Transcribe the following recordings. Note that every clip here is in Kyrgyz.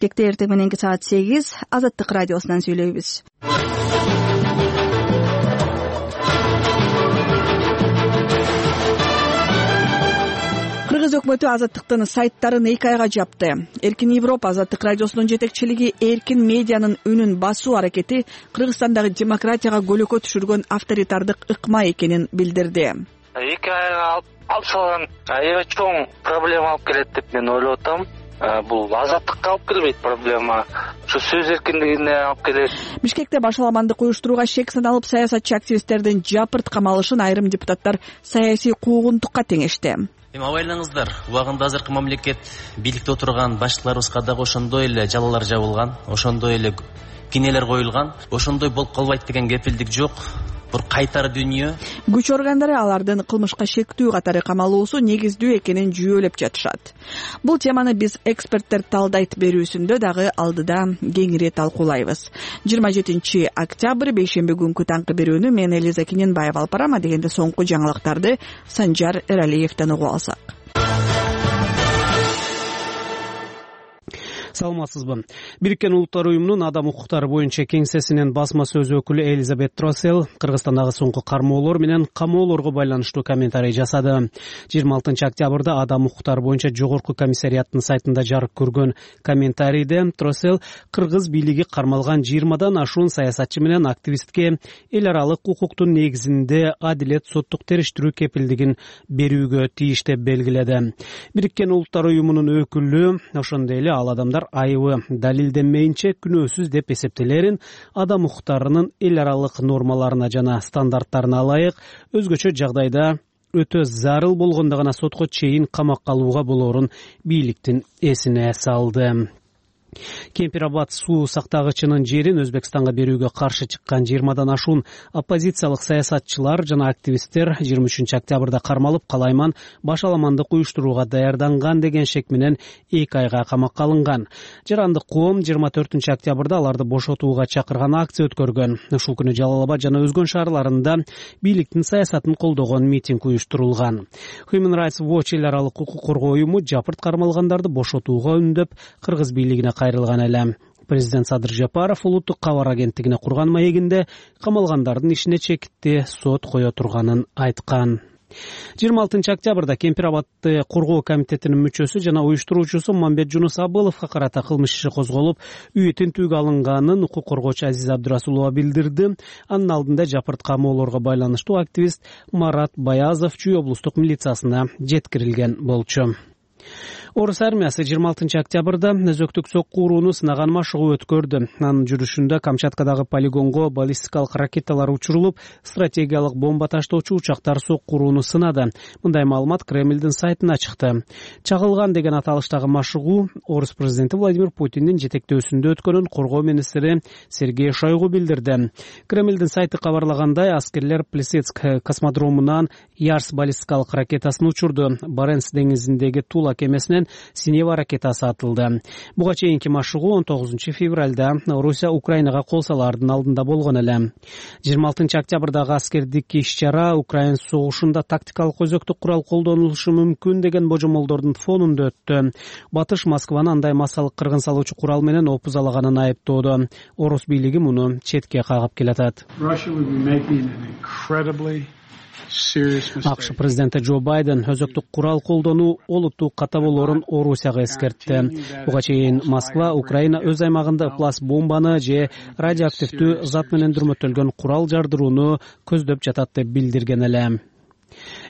Бишкекте эртең мененки саат 8 Азаттык радиосунан сүйлөйбүз. Кыргыз өкмөтү Азаттыктын сайттарын 2 айга жапты. Эркин Европа Азаттык радиосунун жетекчилиги эркин медианын үнүн басуу аракети Кыргызстандагы демократияга көлөкө түшүргөн авторитардык ыкма экенин билдирди. 2 айга алып салган аябай чоң проблема алып келет деп мен ойлоп атам. Бул азаттыкка алып келбейт проблема, ушу сөз эркиндигине алып келет. Бишкекте башаламандык уюштурууга шек саналып саясатчы активисттердин жапырт камалышын айрым депутаттар саясий куугунтукка теңешти. Эми абайлаңыздар, убагында азыркы мамлекет бийликте отурган башчыларыбызга дагы ошондой эле жалалар жабылган, ошондой эле кинелер коюлган, ошондой болуп калбайт деген кепилдик жок. Бир кайтар дүйнө. Күч органдары алардын кылмышка шектүү катары камалуусу негиздүү экенин жүйөлөп жатышат. Бул теманы биз эксперттер талдайт берүүсүндө дагы алдыда кеңири талкуулайбыз. 27 октябрь бейшемби күнкү таңкы берүүнү мен Элиза Кененбаева алып барам, дегенде соңку жаңылыктарды Санжар Эралиевден угуп алсак. Саламатсызбы? Бириккен Улуттар уюмунун адам укуктары боюнча кеңсесинин басма сөз өкүлү Элизабет Тросел Кыргызстандагы соңку кармоолор менен камоолорго байланыштуу комментарий жасады. 26 октябрда адам укуктары боюнча жогорку комиссариаттын сайтында жарык көргөн комментарийде Тросел кыргыз бийлиги кармалган 20дан ашуун саясатчы менен активистке эл аралык укуктун негизинде адилет соттук териштирүү кепилдигин берүүгө тийиш деп белгиледи. Бириккен Улуттар уюмунун өкүлү ошондой эле ал адамдар айыбы далилденмейинче күнөөсүз деп эсептелерин адам укуктарынын эл аралык нормаларына жана стандарттарына ылайык өзгөчө жагдайда өтө зарыл болгондо гана сотко чейин камакка алууга болоорун бийликтин эсине салды. Кемпирабад суу сактагычынын жерин Өзбекстанга берүүгө каршы чыккан 20дан ашуун оппозициялык саясатчылар жана активисттер 23 октябрда кармалып, калайман башаламандык уюштурууга даярданган деген шек менен 2 айга камакка алынган. Жарандык коом 24 октябрда аларды бошотууга чакырган акция өткөргөн. Ушул күнү Жалал Абад жана өзгөн шаарларында бийликтин саясатын колдогон митинг уюштурулган. Human Rights Watch эл аралык укук коргоо уюму жапырт кармалгандарды бошотууга үндөп, кыргыз бийлигине кайрылган эле. Президент Садыр Жапаров улуттук кабар агенттигине курган маегинде камалгандардын ишине чекитти сот кое турганын айткан. 26 октябрда Кемпирабадты коргоо комитетинин мүчөсү жана уюштуруучусу Мамбет Жунус Абыловго карата кылмыш иши козголуп, үйү тинтүүгө алынганын укук коргоочу Азиз Абдырасулова билдирди. Анын алдында жапырт камоолорго байланыштуу активист Марат Баязов Чүй облустук милициясына жеткирилген болчу. Орус армиясы 26 октябрда өзөктүк сокку урууну сынаган машыгуу өткөрдү. Анын жүрүшүндө Камчаткадагы полигонго баллистикалык ракеталар учурулуп, стратегиялык бомба таштоочу учактар сокку урууну сынады. Мындай маалымат Кремлдин сайтына чыкты. Чагылган деген аталыштагы машыгуу Орус президенти Владимир Путиндин жетектөөсүндө өткөнүн коргоо министри Сергей Шойгу билдирди. Кремлдин сайты кабарлагандай, аскерлер Плесецк космодромунан Ярс баллистикалык ракетасын учурду. Баренц деңизиндеги Тула кемесинен Синева ракетасы атылды. Буга чейинки машыгуу 19 февралда Орусия Украинага кол салаардын алдында болгон эле. 26 октябрдагы аскердик иш-чара Украин согушунда тактикалык өзөктүк курал колдонулушу мүмкүн деген божомолдордун фонунда өттү. Батыш Москваны андай массалык кыргын салуучу курал менен опузалаганын айыптоодо. Орус бийлиги муну четке кагып келатат. АКШ президенти Джо Байден өзөктүк курал колдонуу олуттуу ката болоорун Орусияга эскертти. Буга чейин Москва Украина өз аймагында пласт бомбаны же радиоактивдүү зат менен дүрмөтөлгөн курал жардырууну көздөп жатат деп билдирген эле.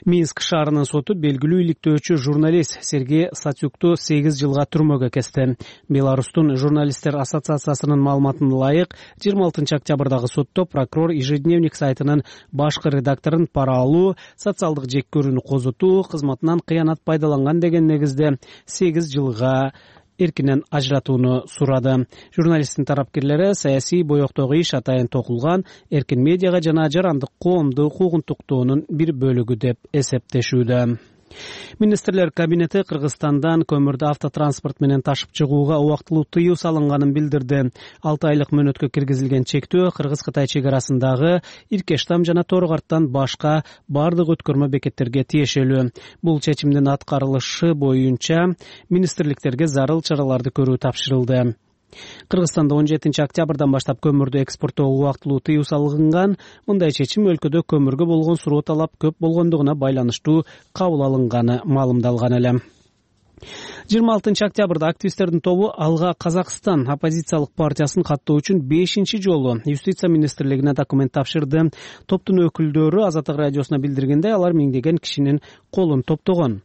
Минск шаарынын соту белгилүү иликтөөчү журналист Сергей Сатюкту 8 жылга түрмөгө кести. Беларустун журналисттер ассоциациясынын маалыматына ылайык, 26 октябрдагы сотто прокурор Ежедневник сайтынын башкы редакторун пара алуу, социалдык жек көрүүнү козутуу, кызматынан кыянат пайдаланган деген негизде 8 жылга эркинен ажыратууну сурады. Журналисттин тарапкерлери саясий боектогу иш атайын токулган эркин медиага жана жарандык коомду куугунтуктоонун бир бөлүгү деп эсептешүүдө. Министрлер кабинети Кыргызстандан көмүрдү автотранспорт менен ташып чыгууга убактылуу тыюу салынганын билдирди. 6 айлык мөөнөткө киргизилген чектөө Кыргыз-Кытай чек арасындагы Иркештам жана Торгарттан башка бардык өткөрмө бекеттерге тиешелүү. Бул чечимдин аткарылышы боюнча министрликтерге зарыл чараларды көрүү тапшырылды. Кыргызстанда 17 октябрдан баштап көмүрдү экспорттоого убактылуу тыюу салынган. Мындай чечим өлкөдө көмүргө болгон суроо талап көп болгондугуна байланыштуу кабыл алынганы маалымдалган эле. 26 октябрда активисттердин тобу Алга Казакстан оппозициялык партиясын каттоо үчүн 5-чи жолу Юстиция министрлигине документ тапшырды. Топтун өкүлдөрү Азаттык радиосуна билдиргендей, алар миңдеген кишинин колун топтогон.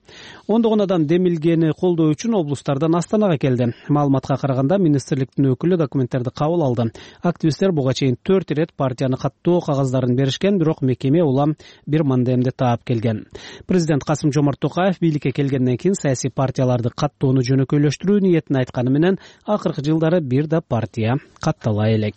Ондогон адам демилгени колдоо үчүн облустардан Астанага келди. Маалыматка караганда, министрликтин өкүлү документтерди кабыл алды. Активисттер буга чейин 4 ирет партияны каттоо кагаздарын беришкен, бирок мекеме улам бир мандемди таап келген. Президент Касым-Жомарт Токаев бийликке келгенден кийин саясий партияларды каттоону жөнөкөйлөштүрүү ниетин айтканы менен акыркы жылдары бир да партия каттала элек.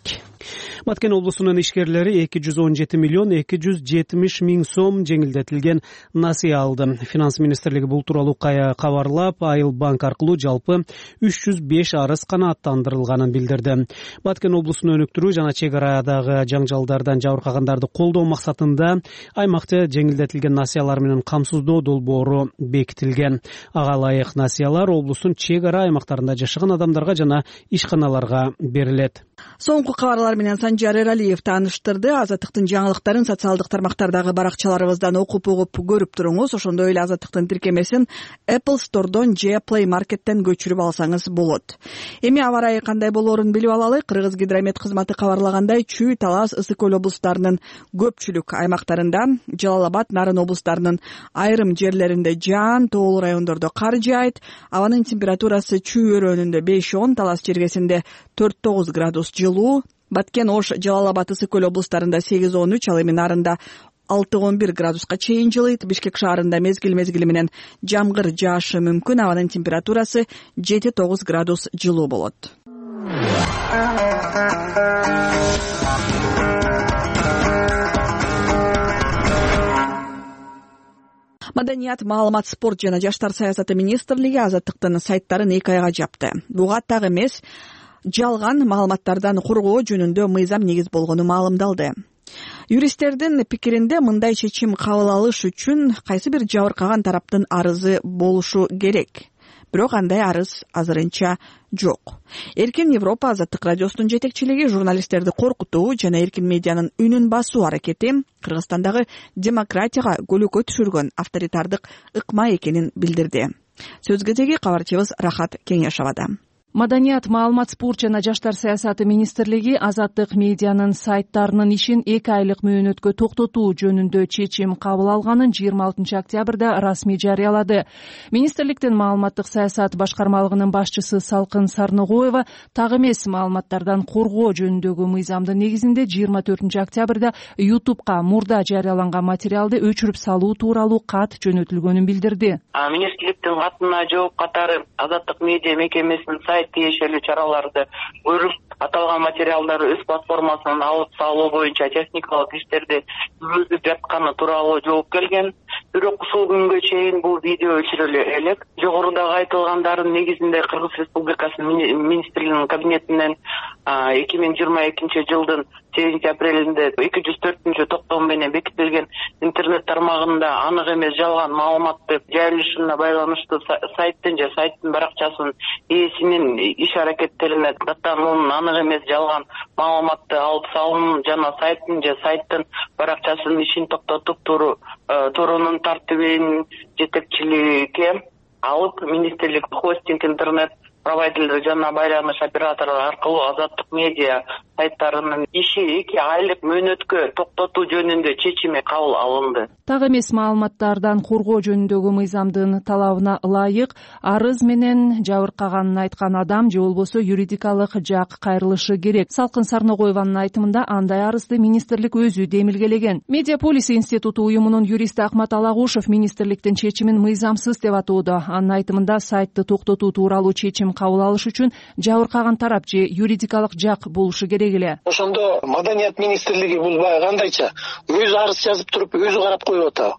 Баткен облусунун ишкерлери 217 миллион 270 миң сом жеңилдетилген насыя алды. Финанс министрлиги бул тууралуу кабарлап, Айыл банк аркылуу жалпы 305 арыз канааттандырылганын билдирди. Баткен облусун өнүктүрүү жана чек арадагы жаңжалдардан жабыркагандарды колдоо максатында аймакта жеңилдетилген насыялар менен камсыздоо долбоору бекитилген. Ага ылайык насыялар облустун чек ара аймактарында жашаган адамдарга жана ишканаларга берилет. Соңку кабарлар менен Санжар Эралиев тааныштырды. Азаттыктын жаңылыктарын социалдык тармактардагы баракчаларыбыздан окуп угуп көрүп туруңуз. Ошондой эле Азаттыктын тиркемесин Apple Store'дон же Play Market'тен көчүрүп алсаңыз болот. Эми аба ырайы кандай болоорун билип алалы. Кыргыз гидромет кызматы кабарлагандай, Чүй, Талас, Ысык Көл облустарынын көпчүлүк аймактарында, Жалал Абад, Нарын облустарынын айрым жерлеринде жаан, тоолуу райондордо кар жаайт. Абанын температурасы Чүй өрөөнүндө 5-10, Талас жергесинде 4-9 градус жылуу. Баткен, Ош, Жалал Абад, Ысык Көл облустарында 8-13, ал эми Нарында 6-11 градуска чейин жылыйт. Бишкек шаарында мезгил менен жамгыр жаашы мүмкүн. Абанын температурасы 7-9 градус жылуу болот. Маданият, маалымат, спорт жана жаштар саясаты министрлиги Азаттыктын сайттарын 2 айга жапты. Буга так эмес, жалган маалыматтардан коргоо жөнүндө мыйзам негиз болгону маалымдалды. Юристтердин пикиринде мындай чечим кабыл алыш үчүн кайсы бир жабыркаган тараптын арызы болушу керек. Бирок андай арыз азырынча жок. Эркин Европа Азаттык радиосунун жетекчилиги журналисттерди коркутуу жана эркин медианын үнүн басуу аракети Кыргызстандагы демократияга көлөкө түшүргөн авторитардык ыкма экенин билдирди. Сөзгө теги кабарчыбыз Рахат Кеңешовада. Маданият, маалымат, спорт жана жаштар саясаты министрлиги Азаттык медианын сайттарынын ишин 2 айлык мөөнөткө токтотуу жөнүндө чечим кабыл алганын 26 октябрда расмий жарыялады. Министрликтин маалыматтык саясат башкармалыгынын башчысы Салкын Сарногоева так эмес маалыматтардан коргоо жөнүндөгү мыйзамдын негизинде 24 октябрда YouTube'ка мурда жарыяланган материалды өчүрүп салуу тууралуу кат жөнөтүлгөнүн билдирди. Министрликтин катына жооп катары Азаттык медиа мекемесинин тиешелүү чараларды көрүп, аталган материалдарды өз платформасынан алып салуу боюнча техникалык иштерди жүргүзүп жатканы тууралуу жооп келген. Бирок ушул күнгө чейин бул видео өчүрүлө элек. Жогорудагы айтылгандардын негизинде Кыргыз Республикасынын министрлигинин кабинетинен 2022 жылдын 8 апрелинде 204 токтом менен бекитилген интернет тармагында анык эмес жалган маалыматты жайылышына байланыштуу сайттын же сайттын баракчасынын ээсинин иш аракеттерине даттануунун анык эмес жалган маалыматты алып салуунун жана сайттын же сайттын баракчасынын ишин токтотуп туруунун тартибин жетекчиликке алып, министрлик хостинг интернет провайдерлер жана байланыш операторлору аркылуу Азаттык медиа сайттарынын иши 2 айлык мөөнөткө токтотуу жөнүндө чечими кабыл алынды. Так эмес маалыматтардан коргоо жөнүндөгү мыйзамдын талабына ылайык арыз менен жабыркаганын айткан адам же болбосо юридикалык жак кайрылышы керек. Салкын Сарногоеванын айтымында андай арызды министрлик өзү демилгелеген. Медиаполис институту уюмунун юристи Акмат Алагушев министрликтин чечимин мыйзамсыз деп атоодо. Анын айтымында сайтты токтотуу тууралуу чечим кабыл алыш үчүн жабыркаган тарап же юридикалык жак болушу керек эле. Ошондо Маданият министрлиги бул баягы кандайча өзү арыз жазып туруп өзү карап коюп атабы?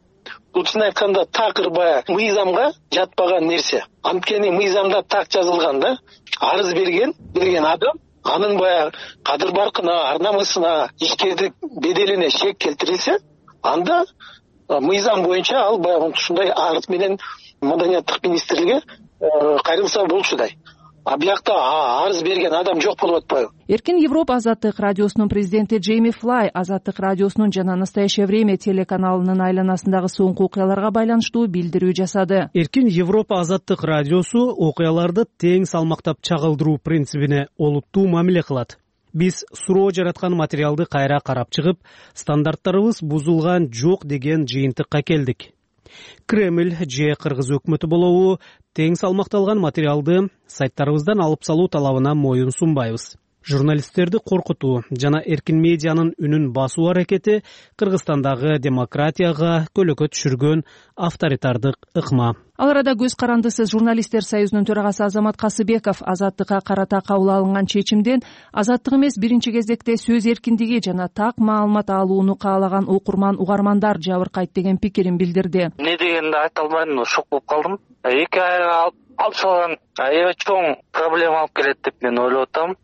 Бул чын айтканда такыр баягы мыйзамга жатпаган нерсе. Анткени мыйзамда так жазылган да, арыз берген адам анын баягы кадыр баркына, ар намысына, ишкердик беделине шек келтирилсе, анда мыйзам боюнча ал баягы ушундай арыз менен Маданияттык министрликке кайрылса болчудай. А биякта арыз берген адам жок болуп атпайбы? Эркин Европа Азаттык радиосунун президенти Джейми Флай Азаттык радиосунун жана Настоящее время телеканалынын айланасындагы соңку окуяларга байланыштуу билдирүү жасады. Эркин Европа Азаттык радиосу окуяларды тең салмактап чагылдыруу принцибине олуттуу мамиле кылат. Биз суроо жараткан материалды кайра карап чыгып, стандарттарыбыз бузулган жок деген жыйынтыкка келдик. Кремль же кыргыз өкмөтү болобу тең салмакталган материалды сайттарыбыздан алып салуу талабына моюн сунбайбыз. Журналисттерди коркутуу жана эркин медианын үнүн басуу аракети Кыргызстандагы демократияга көлөкө түшүргөн авторитардык ыкма. Ал арада көз карандысыз журналисттер союзунун төрагасы Азамат Касыбеков Азаттыкка карата кабыл алынган чечимден азаттык эмес биринчи кезекте сөз эркиндиги жана так маалымат алууну каалаган окурман угармандар жабыркайт деген пикирин билдирди. Эмне дегенди айта албайм, шок болуп калдым. 2 айга алып салган аябай чоң проблема алып келет деп мен ойлоп атам.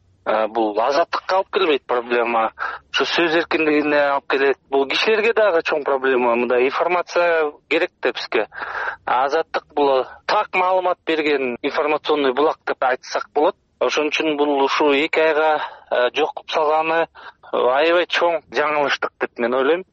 Бул азаттыкка алып келбейт проблема, ушу сөз эркиндигине алып келет. Бул кишилерге дагы чоң проблема. Мындай информация керек да бизге. Азаттык бул так маалымат берген информационный булак деп айтсак болот. Ошон үчүн бул ушу 2 айга жок кылып салганы аябай чоң жаңылыштык деп мен ойлойм.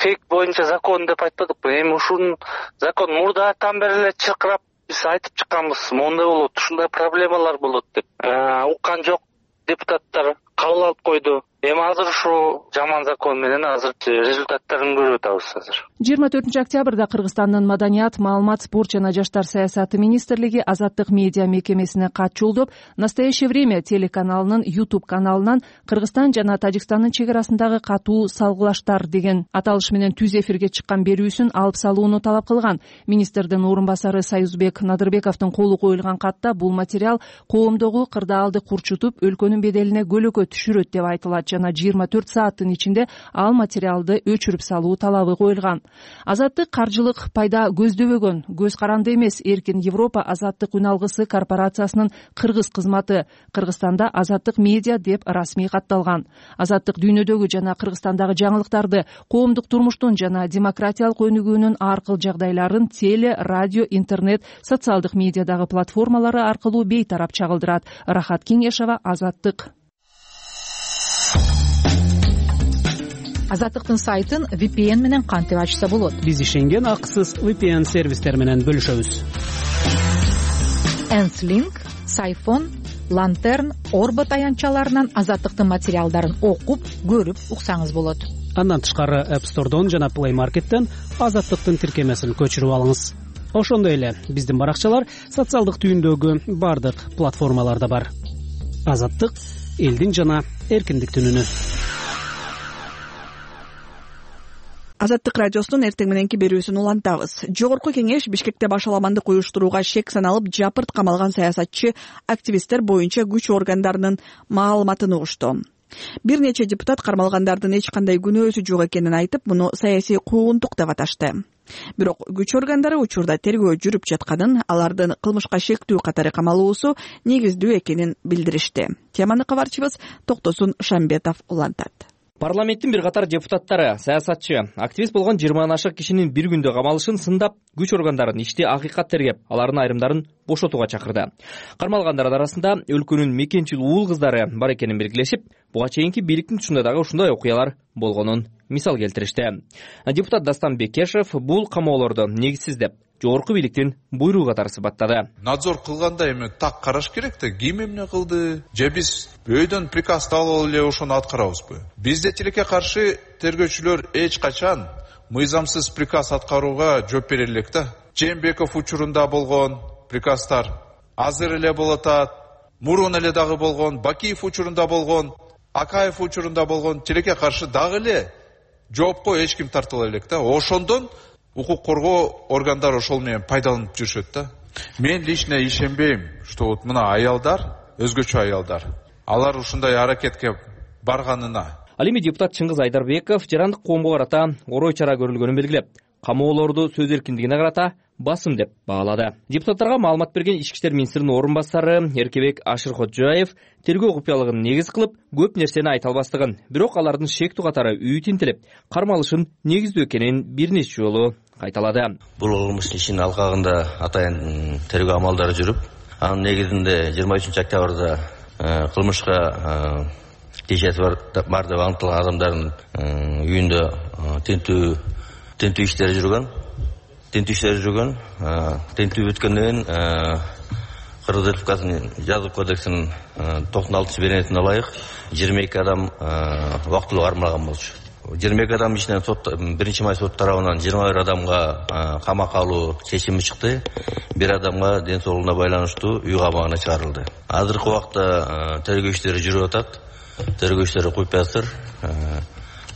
Фейк боюнча закон деп айтпадыкпы? Эми ушунун закон мурдатан бери эле чыркырап биз айтып чыкканбыз. Мондай болот, ушундай проблемалар болот деп. Уккан жок. Депутаттар кабыл алып койду. Эми азыр ушу жаман закон менен азыр результаттарын көрүп атабыз азыр. 24 октябрда Кыргызстандын Маданият, маалымат, спорт жана жаштар саясаты министрлиги Азаттык медиа мекемесине кат жолдоп, Настоящее время телеканалынын YouTube каналынан Кыргызстан жана Тажикстандын чек арасындагы катуу салгылаштар деген аталыш менен түз эфирге чыккан берүүсүн алып салууну талап кылган. Министрдин орун басары Союзбек Надырбековдун колу коюлган катта бул материал коомдогу кырдаалды курчутуп, өлкөнүн беделине көлөкө түшүрөт деп айтылат жана 24 сааттын ичинде ал материалды өчүрүп салуу талабы коюлган. Азаттык каржылык пайда көздөбөгөн, көз каранды эмес. Эркин Европа Азаттык үн алгысы корпорациясынын кыргыз кызматы Кыргызстанда Азаттык медиа деп расмий катталган. Азаттык дүйнөдөгү жана Кыргызстандагы жаңылыктарды, коомдук турмуштун жана демократиялык өнүгүүнүн ар кыл жагдайларын теле, радио, интернет, социалдык медиадагы платформалары аркылуу бейтарап чагылдырат. Рахат Кеңешова, Азаттык. Азаттыктын сайтын VPN менен кантип ачса болот? Биз ишенген акысыз VPN сервистер менен бөлүшөбүз. Enslink, Сайфон, Lantern, Orbit аянтчаларынан Азаттыктын материалдарын окуп, көрүп уксаңыз болот. Андан тышкары App Store'дон жана Play Market'тен Азаттыктын тиркемесин көчүрүп алыңыз. Ошондой эле биздин баракчалар социалдык түйүндөгү бардык платформаларда бар. Азаттык — элдин жана эркиндиктин үнү. Азаттык радиосунун эртең мененки берүүсүн улантабыз. Жогорку кеңеш Бишкекте башаламандык уюштурууга шек саналып жапырт камалган саясатчы активисттер боюнча күч органдарынын маалыматын угушту. Бир нече депутат кармалгандардын эч кандай күнөөсү жок экенин айтып, муну саясий куугунтук деп аташты. Бирок күч органдары учурда тергөө жүрүп жатканын, алардын кылмышка шектүү катары камалуусу негиздүү экенин билдиришти. Теманы кабарчыбыз Токтосун Шамбетов улантат. Парламенттин бир катар депутаттары саясатчы, активист болгон 20 ашык кишинин бир күндө камалышын сындап, күч органдарын ишти акыйкат тергеп, алардын айрымдарын бошотууга чакырды. Кармалгандар арасында өлкөнүн мекенчил уул кыздары бар экенин белгилешип, буга чейинки бийликтин тушунда дагы ушундай окуялар болгонун мисал келтиришти. Депутат Дастан Бекешев бул камоолорду негизсиз деп, жогорку бийликтин буйругу катары сыпаттады. Надзор кылганда эми так караш керек да, ким эмне кылды? Же биз өйдөн приказ алып эле ошону аткарабызбы? Бизде тилекке каршы тергөөчүлөр эч качан мыйзамсыз приказ аткарууга жооп бере элек да. Жээнбеков учурунда болгон приказдар азыр эле болот атат, мурун эле дагы болгон, Бакиев учурунда болгон, Акаев учурунда болгон, тилекке каршы дагы эле жоопко эч ким тартыла элек да. Ошондон укук коргоо органдары ошол менен пайдаланып жүрүшөт да. Мен лично ишенбейм, что вот мына аялдар, өзгөчө аялдар, алар ушундай аракетке барганына. Ал эми депутат Чыңгыз Айдарбеков жарандык коомго карата орой чара көрүлгөнүн белгилеп, камоолорду сөз эркиндигине карата басым деп баалады. Депутаттарга маалымат берген Ички иштер министринин орун басары Эркебек Ашыркожоев тергөө купуялыгын негиз кылып, көп нерсени айта албастыгын, бирок алардын шектүү катары үй тинтелеп, кармалышын негиздүү экенин бир нече жолу кайталады. Бул кылмыш ишинин алкагында атайын тергөө амалдары жүрүп, анын негизинде 23 октябрда кылмышка кешеси бар деп аныкталган адамдардын үйүндө тинтүү иштери жүргөн. Тинтүү бүткөндөн кийин Кыргыз Республикасынын жаза кодексинин 96-беренетине ылайык 22 адам убактылуу кармалган болчу. 22 адам ичинен биринчи май сот тарабынан 21 адамга камакка алуу чечими чыкты. Бир адамга ден соолугуна байланыштуу үй камагына чыгарылды. Азыркы убакта тергөө иштери жүрүп атат. Тергөө иштери куюп жатыр.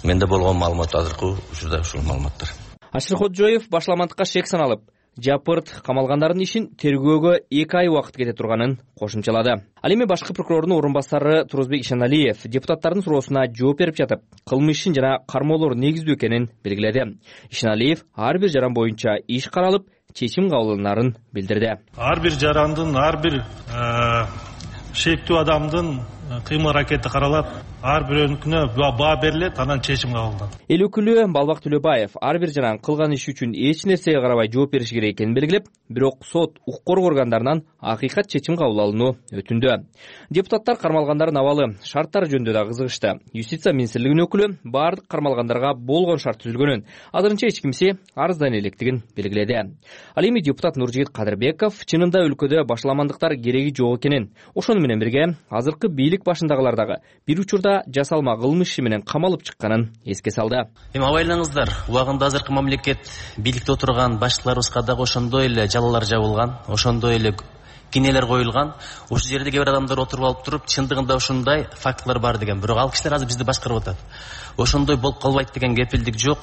Менде болгон маалымат азыркы учурда ушул маалыматтар. Ашыркожоев башламандыкка шек саналып, жапырт камалгандардын ишин тергөөгө 2 ай убакыт кете турганын кошумчалады. Ал эми башкы прокурордун орун басары Турузбек Ишаналиев депутаттардын суроосуна жооп берип жатып, кылмыш ишин жана кармоолор негиздүү экенин белгиледи. Ишаналиев ар бир жаран боюнча иш каралып, чечим кабыл алынарын билдирди. Ар бир жарандын, ар бир шектүү адамдын кыймыл аракети каралат, ар бирөөнүкүнө баа берилет, анан чечим кабыл алынат. Эл өкүлү Балбак Төлөбаев ар бир жаран кылган иши үчүн эч нерсеге карабай жооп бериши керек экенин белгилеп, бирок сот укук коргоо органдарынан акыйкат чечим кабыл алууну өтүндү. Депутаттар кармалгандардын абалы, шарттары жөнүндө да кызыгышты. Юстиция министрлигинин өкүлү баардык кармалгандарга болгон шарт түзүлгөнүн, азырынча эч кимсе арыздана электигин белгиледи. Ал эми депутат Нуржигит Кадырбеков чынында өлкөдө башламандыктар кереги жок экенин, ошону менен бирге азыркы бийлик башындагылар дагы бир учурда жасалма кылмыш иши менен камалып чыкканын эске салды. Эми абайлаңыздар, убагында азыркы мамлекет бийликте отурган башчыларыбызга дагы ошондой эле жалалар жабылган, ошондой эле кинелер коюлган. Ушул жерде кээ бир адамдар отуруп алып туруп, чындыгында ушундай фактылар бар деген. Бирок ал кишилер азыр бизди башкарып атат. Ошондой болуп калбайт деген кепилдик жок.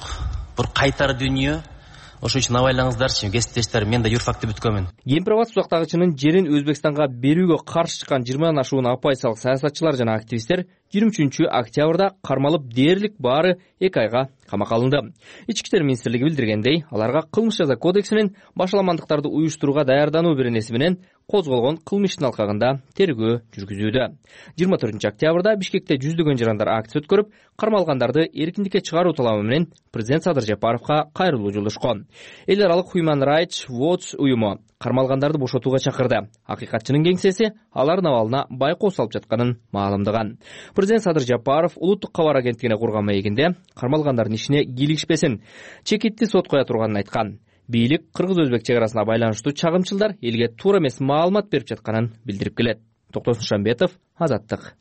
Бир кайтар дүйнө. Ошон үчүн абайлаңыздарчы, кесиптештер, мен да юрфакты бүткөнмүн. Кемпирабад сузактагычынын жерин Өзбекстанга берүүгө каршы чыккан 20 ашуун оппозициялык саясатчылар жана активисттер 23 октябрда кармалып дээрлик баары 2 айга камакка алынды. Ички иштер министрлиги билдиргендей, аларга кылмыш жаза кодексинин башламандыктарды уюштурууга даярдануу беренеси менен козголгон кылмыштын алкагында тергөө жүргүзүүдө. 24 октябрда Бишкекте жүздөгөн жарандар акция өткөрүп, кармалгандарды эркиндикке чыгаруу талабы менен президент Садыр Жапаровго кайрылуу жолдошкон. Эл аралык Human Rights Watch уюму кармалгандарды бошотууга чакырды. Акыйкатчынын кеңсеси алардын абалына байкоо салып жатканын маалымдаган. Президент Садыр Жапаров улуттук кабар агенттигине курган маегинде кармалгандардын ишине кийлигишпесин, чекитти сот кое турганын айткан. Бийлик кыргыз-өзбек чек арасына байланыштуу чагымчылдар элге туура эмес маалымат берип жатканын билдирип келет. Токтосун Шамбетов, Азаттык.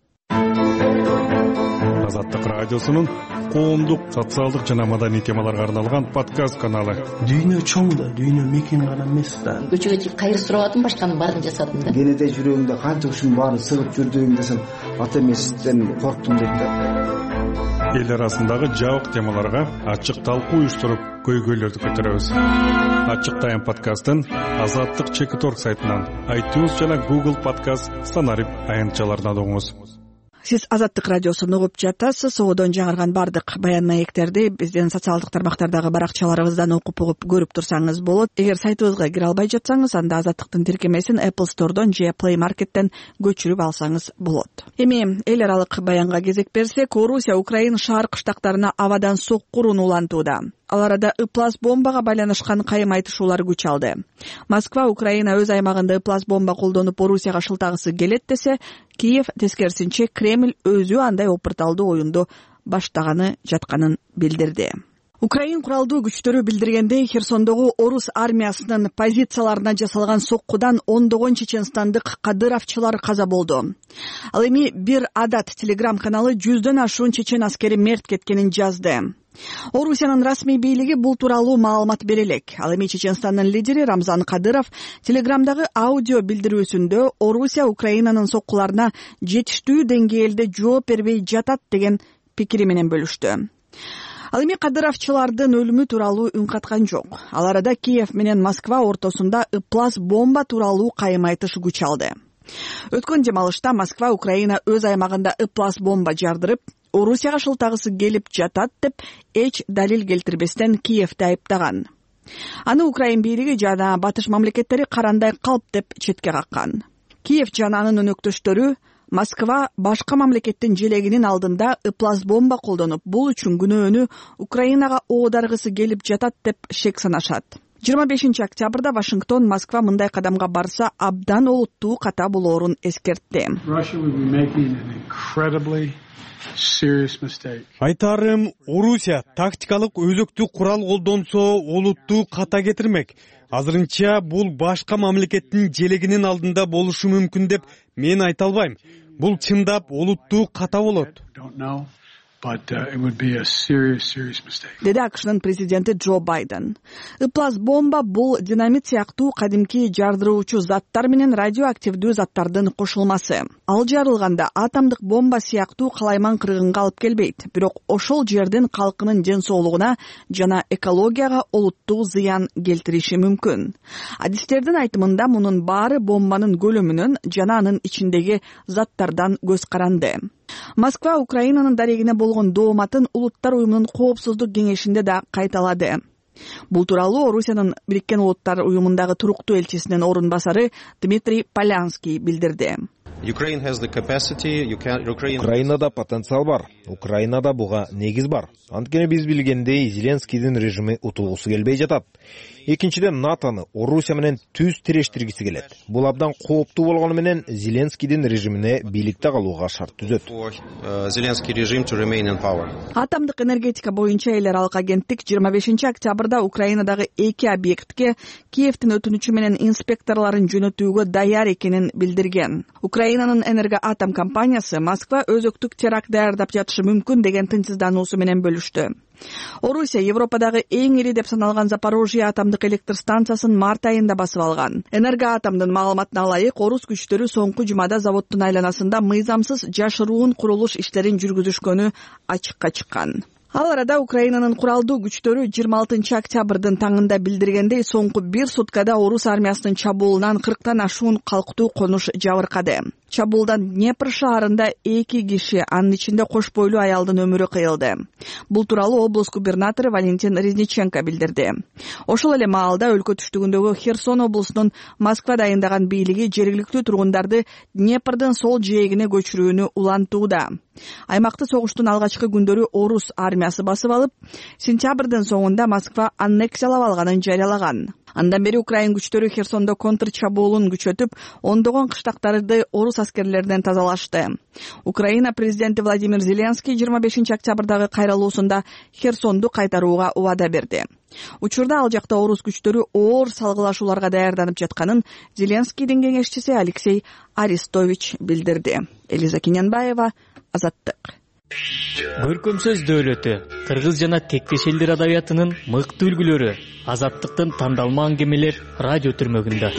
Азаттык радиосунун коомдук, социалдык жана маданий темаларга арналган подкаст каналы. Дүйнө чоң да, дүйнө мекен гана эмес да. Көчөгө чыгып кайры сурабадым, башканын баарын жасадым да. Кенеде жүрөгүмдө канча ушунун баарын сыгып жүрдүм десем, ата эместен корктум дейт да. Эл арасындагы жабык темаларга ачык талкуу уюштуруп, көйгөйлөрдү көтөрөбүз. Ачык тайм подкастын Азаттык Чекиторг сайтынан, iTunes жана Google Podcast станарып аянтчаларынан угуңуз. Сиз Азаттык радиосун угуп жатасыз. Одон жаңырган бардык баян маектерди биздин социалдык тармактардагы баракчаларыбыздан окуп угуп көрүп турсаңыз болот. Эгер сайтыбызга кире албай жатсаңыз, анда Азаттыктын тиркемесин Apple Store'дон же Play Market'тен көчүрүп алсаңыз болот. Эми эл аралык баянга кезек берсек, Орусия Украина шаар кыштактарына абадан соккурун улантууда. Ал арада ыплас бомбага байланышкан кайым айтышуулар күч алды. Москва Украина өз аймагында ыплас бомба колдонуп Орусияга шылтагысы келет десе, Киев тескерисинче Кремль өзү андай опурталдуу оюнду баштаганы жатканын билдирди. Украин куралдуу күчтөрү билдиргендей, Херсондогу орус армиясынын позицияларына жасалган соккудан ондогон чеченстандык кадыровчулар каза болду. Ал эми Бир Адат телеграм каналы 100дөн ашуун чечен аскери мерт кеткенин жазды. Орусиянын расмий бийлиги бул тууралуу маалымат бере элек. Ал эми Чеченстандын лидери Рамзан Кадыров телеграмдагы аудио билдирүүсүндө Орусия Украинанын соккуларына жетиштүү деңгээлде жооп бербей жатат деген пикири менен бөлүштү. Ал эми кадыровчулардын өлүмү тууралуу үн каткан жок. Ал арада Киев менен Москва ортосунда ыплас бомба тууралуу кайым айтыш күч алды. Өткөн демалышта Москва Украина өз аймагында ыплас бомба жардырып, Орусияга шылтагысы келип жатат деп эч далил келтирбестен Киевди айыптаган. Аны Украин бийлиги жана батыш мамлекеттери карандай калп деп четке каккан. Киев жана анын өнөктөштөрү Москва башка мамлекеттин желегинин алдында ыплас бомба колдонуп, бул үчүн күнөөнү Украинага оодаргысы келип жатат деп шек санашат. 25 октябрда Вашингтон Москва мындай кадамга барса абдан олуттуу ката болоорун эскертти. Айтарым, Орусия тактикалык өзөктүү курал колдонсо олуттуу ката кетирмек. Азырынча бул башка мамлекеттин желегинин алдында болушу мүмкүн деп мен айта албайм. Бул чындап олуттуу ката болот. Деди АКШнын президенти Джо Байден. Ыплас бомба бул динамит сыяктуу кадимки жардыруучу заттар менен радиоактивдүү заттардын кошулмасы. Ал жарылганда атомдук бомба сыяктуу калайман кыргынга алып келбейт, бирок ошол жердин калкынын ден соолугуна жана экологияга олуттуу зыян келтириши мүмкүн. Адистердин айтымында мунун баары бомбанын көлөмүнөн жана анын ичиндеги заттардан көз каранды. Москва Украинанын дарегине болгон дооматын Улуттар уюмунун коопсуздук кеңешинде да кайталады. Бул тууралуу Орусиянын Бириккен Улуттар уюмундагы туруктуу элчисинин орун басары Дмитрий Полянский билдирди. Украинада потенциал бар. Украинада буга негиз бар. Анткени биз билгендей Зеленскийдин режими утулгусу келбей жатат. Экинчиден, НАТОны Орусия менен түз тирештиргиси келет. Бул абдан кооптуу болгону менен Зеленскийдин режимине бийликте калууга шарт түзөт. Атомдук энергетика боюнча эл аралык агенттик 25 октябрда Украинадагы 2 объектке Киевдин өтүнүчү менен инспекторлорун жөнөтүүгө даяр экенин билдирген. Украинанын энергоатом компаниясы Москва өзөктүк теракт даярдап жатышы мүмкүн деген тынчсыздануусу менен бөлүштү. Орусия Европадагы эң ири деп саналган Запорожье атомдук электр станциясын март айында басып алган. Энергоатомдун маалыматына ылайык, орус күчтөрү соңку жумада заводдун айланасында мыйзамсыз жашыруун курулуш иштерин жүргүзүшкөнү ачыкка чыккан. Ал арада Украинанын куралдуу күчтөрү 26 октябрдын таңында билдиргендей, соңку 1 суткада орус армиясынын чабуулунан 40тан ашуун калктуу конуш жабыркады. Чабуулдан Днепр шаарында 2 киши, анын ичинде кош бойлуу аялдын өмүрү кыйылды. Бул тууралуу облус губернатору Валентин Резниченко билдирди. Ошол эле маалда өлкө түштүгүндөгү Херсон облусунун Москва дайындаган бийлиги жергиликтүү тургундарды Днепрдин сол жээгине көчүрүүнү улантууда. Аймакты согуштун алгачкы күндөрү орус армиясы басып алып, сентябрдын соңунда Москва аннексиялап алганын жарыялаган. Андан бери Украин күчтөрү Херсондо контр чабуулун күчөтүп, ондогон кыштактарды орус аскерлеринен тазалашты. Украина президенти Владимир Зеленский 25 октябрдагы кайрылуусунда Херсонду кайтарууга убада берди. Учурда ал жакта орус күчтөрү оор салгылашууларга даярданып жатканын Зеленскийдин кеңешчиси Алексей Арестович билдирди. Элиза Кененбаева, Азаттык. Көркөмсөз дөөлөтү, кыргыз жана тектеш элдер адабиятынын мыкты үлгүлөрү Азаттыктын тандалма аңгемелер радио түрмөгүндө.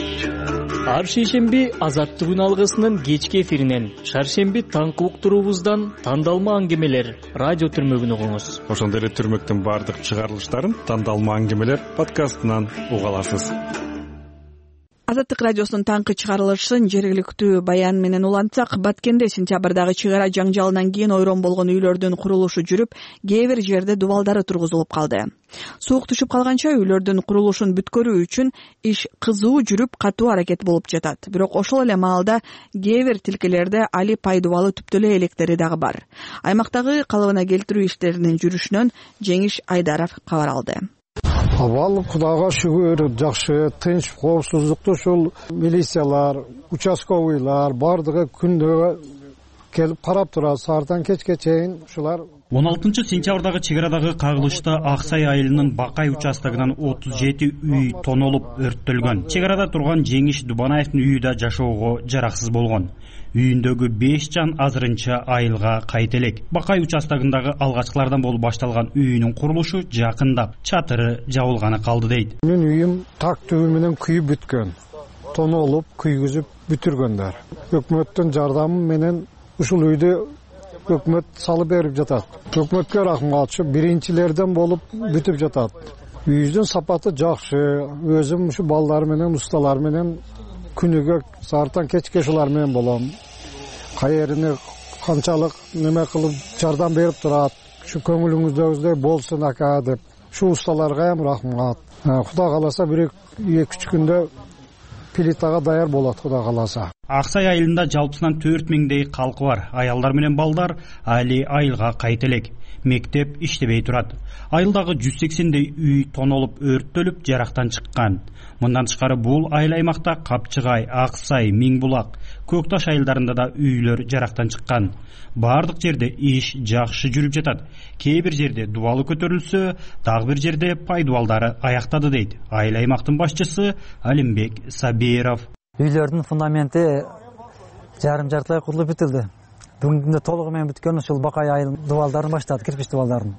Ар шейшемби Азаттыгүн алгысынын кечки эфиринен, шаршемби таңкы уктуруубуздан тандалма аңгемелер радио түрмөгүн угуңуз. Ошондой эле түрмөктүн баардык чыгарылыштарын тандалма аңгемелер подкастынан уга аласыз. Азаттык радиосунун таңкы чыгарылышын жергиликтүү баян менен улантсак, Баткенде сентябрдагы чыгара жаңжалынан кийин ойрон болгон үйлөрдүн курулушу жүрүп, кээ бир жерде дубалдары тургузулуп калды. Суук түшүп калганча үйлөрдүн курулушун бүткөрүү үчүн иш кызуу жүрүп, катуу аракет болуп жатат. Бирок ошол эле маалда кээ бир тилкелерде али пайдубалы түптө эле электери дагы бар. Аймактагы калыбына келтирүү иштеринин жүрүшүнөн Жеңиш Айдаров кабар алды. Абал Кудайга шүгүр, жакшы, тынч, коопсуздукту ушул милициялар, участковыйлар бардыгы күндө келип карап турат, саартан кечке чейин ушулар. 16 сентябрдагы чыгарадагы кагылышта Аксай айылынын Бакай участогунан 37 үй тонолуп өрттөлгөн. Чыгарада турган Жеңиш Дубанаевдин үйү да жашоого жараксыз болгон. Үйүндөгү 5 жан азырынча айылга кайт элек. Бакай участогундагы алгачкылардан болуп башталган үйүнүн курулушу жакындап, чатыры жабылганы калды дейт. Менин үйүм так түбү менен күйүп бүткөн. Тонолуп, күйгүзүп бүтүргөндөр. Өкмөттүн жардамы менен ушул үйдү өкмөт салып берип жатат. Өкмөткө рахмат кылчу, биринчилерден болуп бүтүп жатат. Үйүбүздүн сапаты жакшы. Өзүм ушу балдар менен, усталар менен күнүгө саартан кечке ушулар менен болом. Кайерine канчалык неме кылып жардам берип турат. Şu көңүлүңүздөгүдөй болсун ака деп. ушул усталарга рахмат. Кудай кааласа 1-2 күндө плитага даяр болот, Кудай кааласа. Аксай айылында жалпысынан 4000дей калкы бар. Аялдар менен балдар али айылга кайта элек. Мектеп иштебей турат. Айылдагы 180дей үй тонолуп, өрттөлүп, жарактан чыккан. Мындан тышкары бул айыл аймакта Капчыгай, Аксай, Миңбулак, Көк Таш айылдарында да үйлөр жарактан чыккан. Бардык жерде иш жакшы жүрүп жатат. Кээ бир жерде дубалы көтөрүлсө, дагы бир жерде пай дубалдары аяктады дейт айыл аймактын башчысы Алимбек Сабиров. Үйлөрдүн фундаменти жарым-жартылай курулуп бүтүлдү. Бүгүнкү күндө толугу менен бүткөн ушул Бакай айыл дубалдарын баштады, кирпич дубалдарын.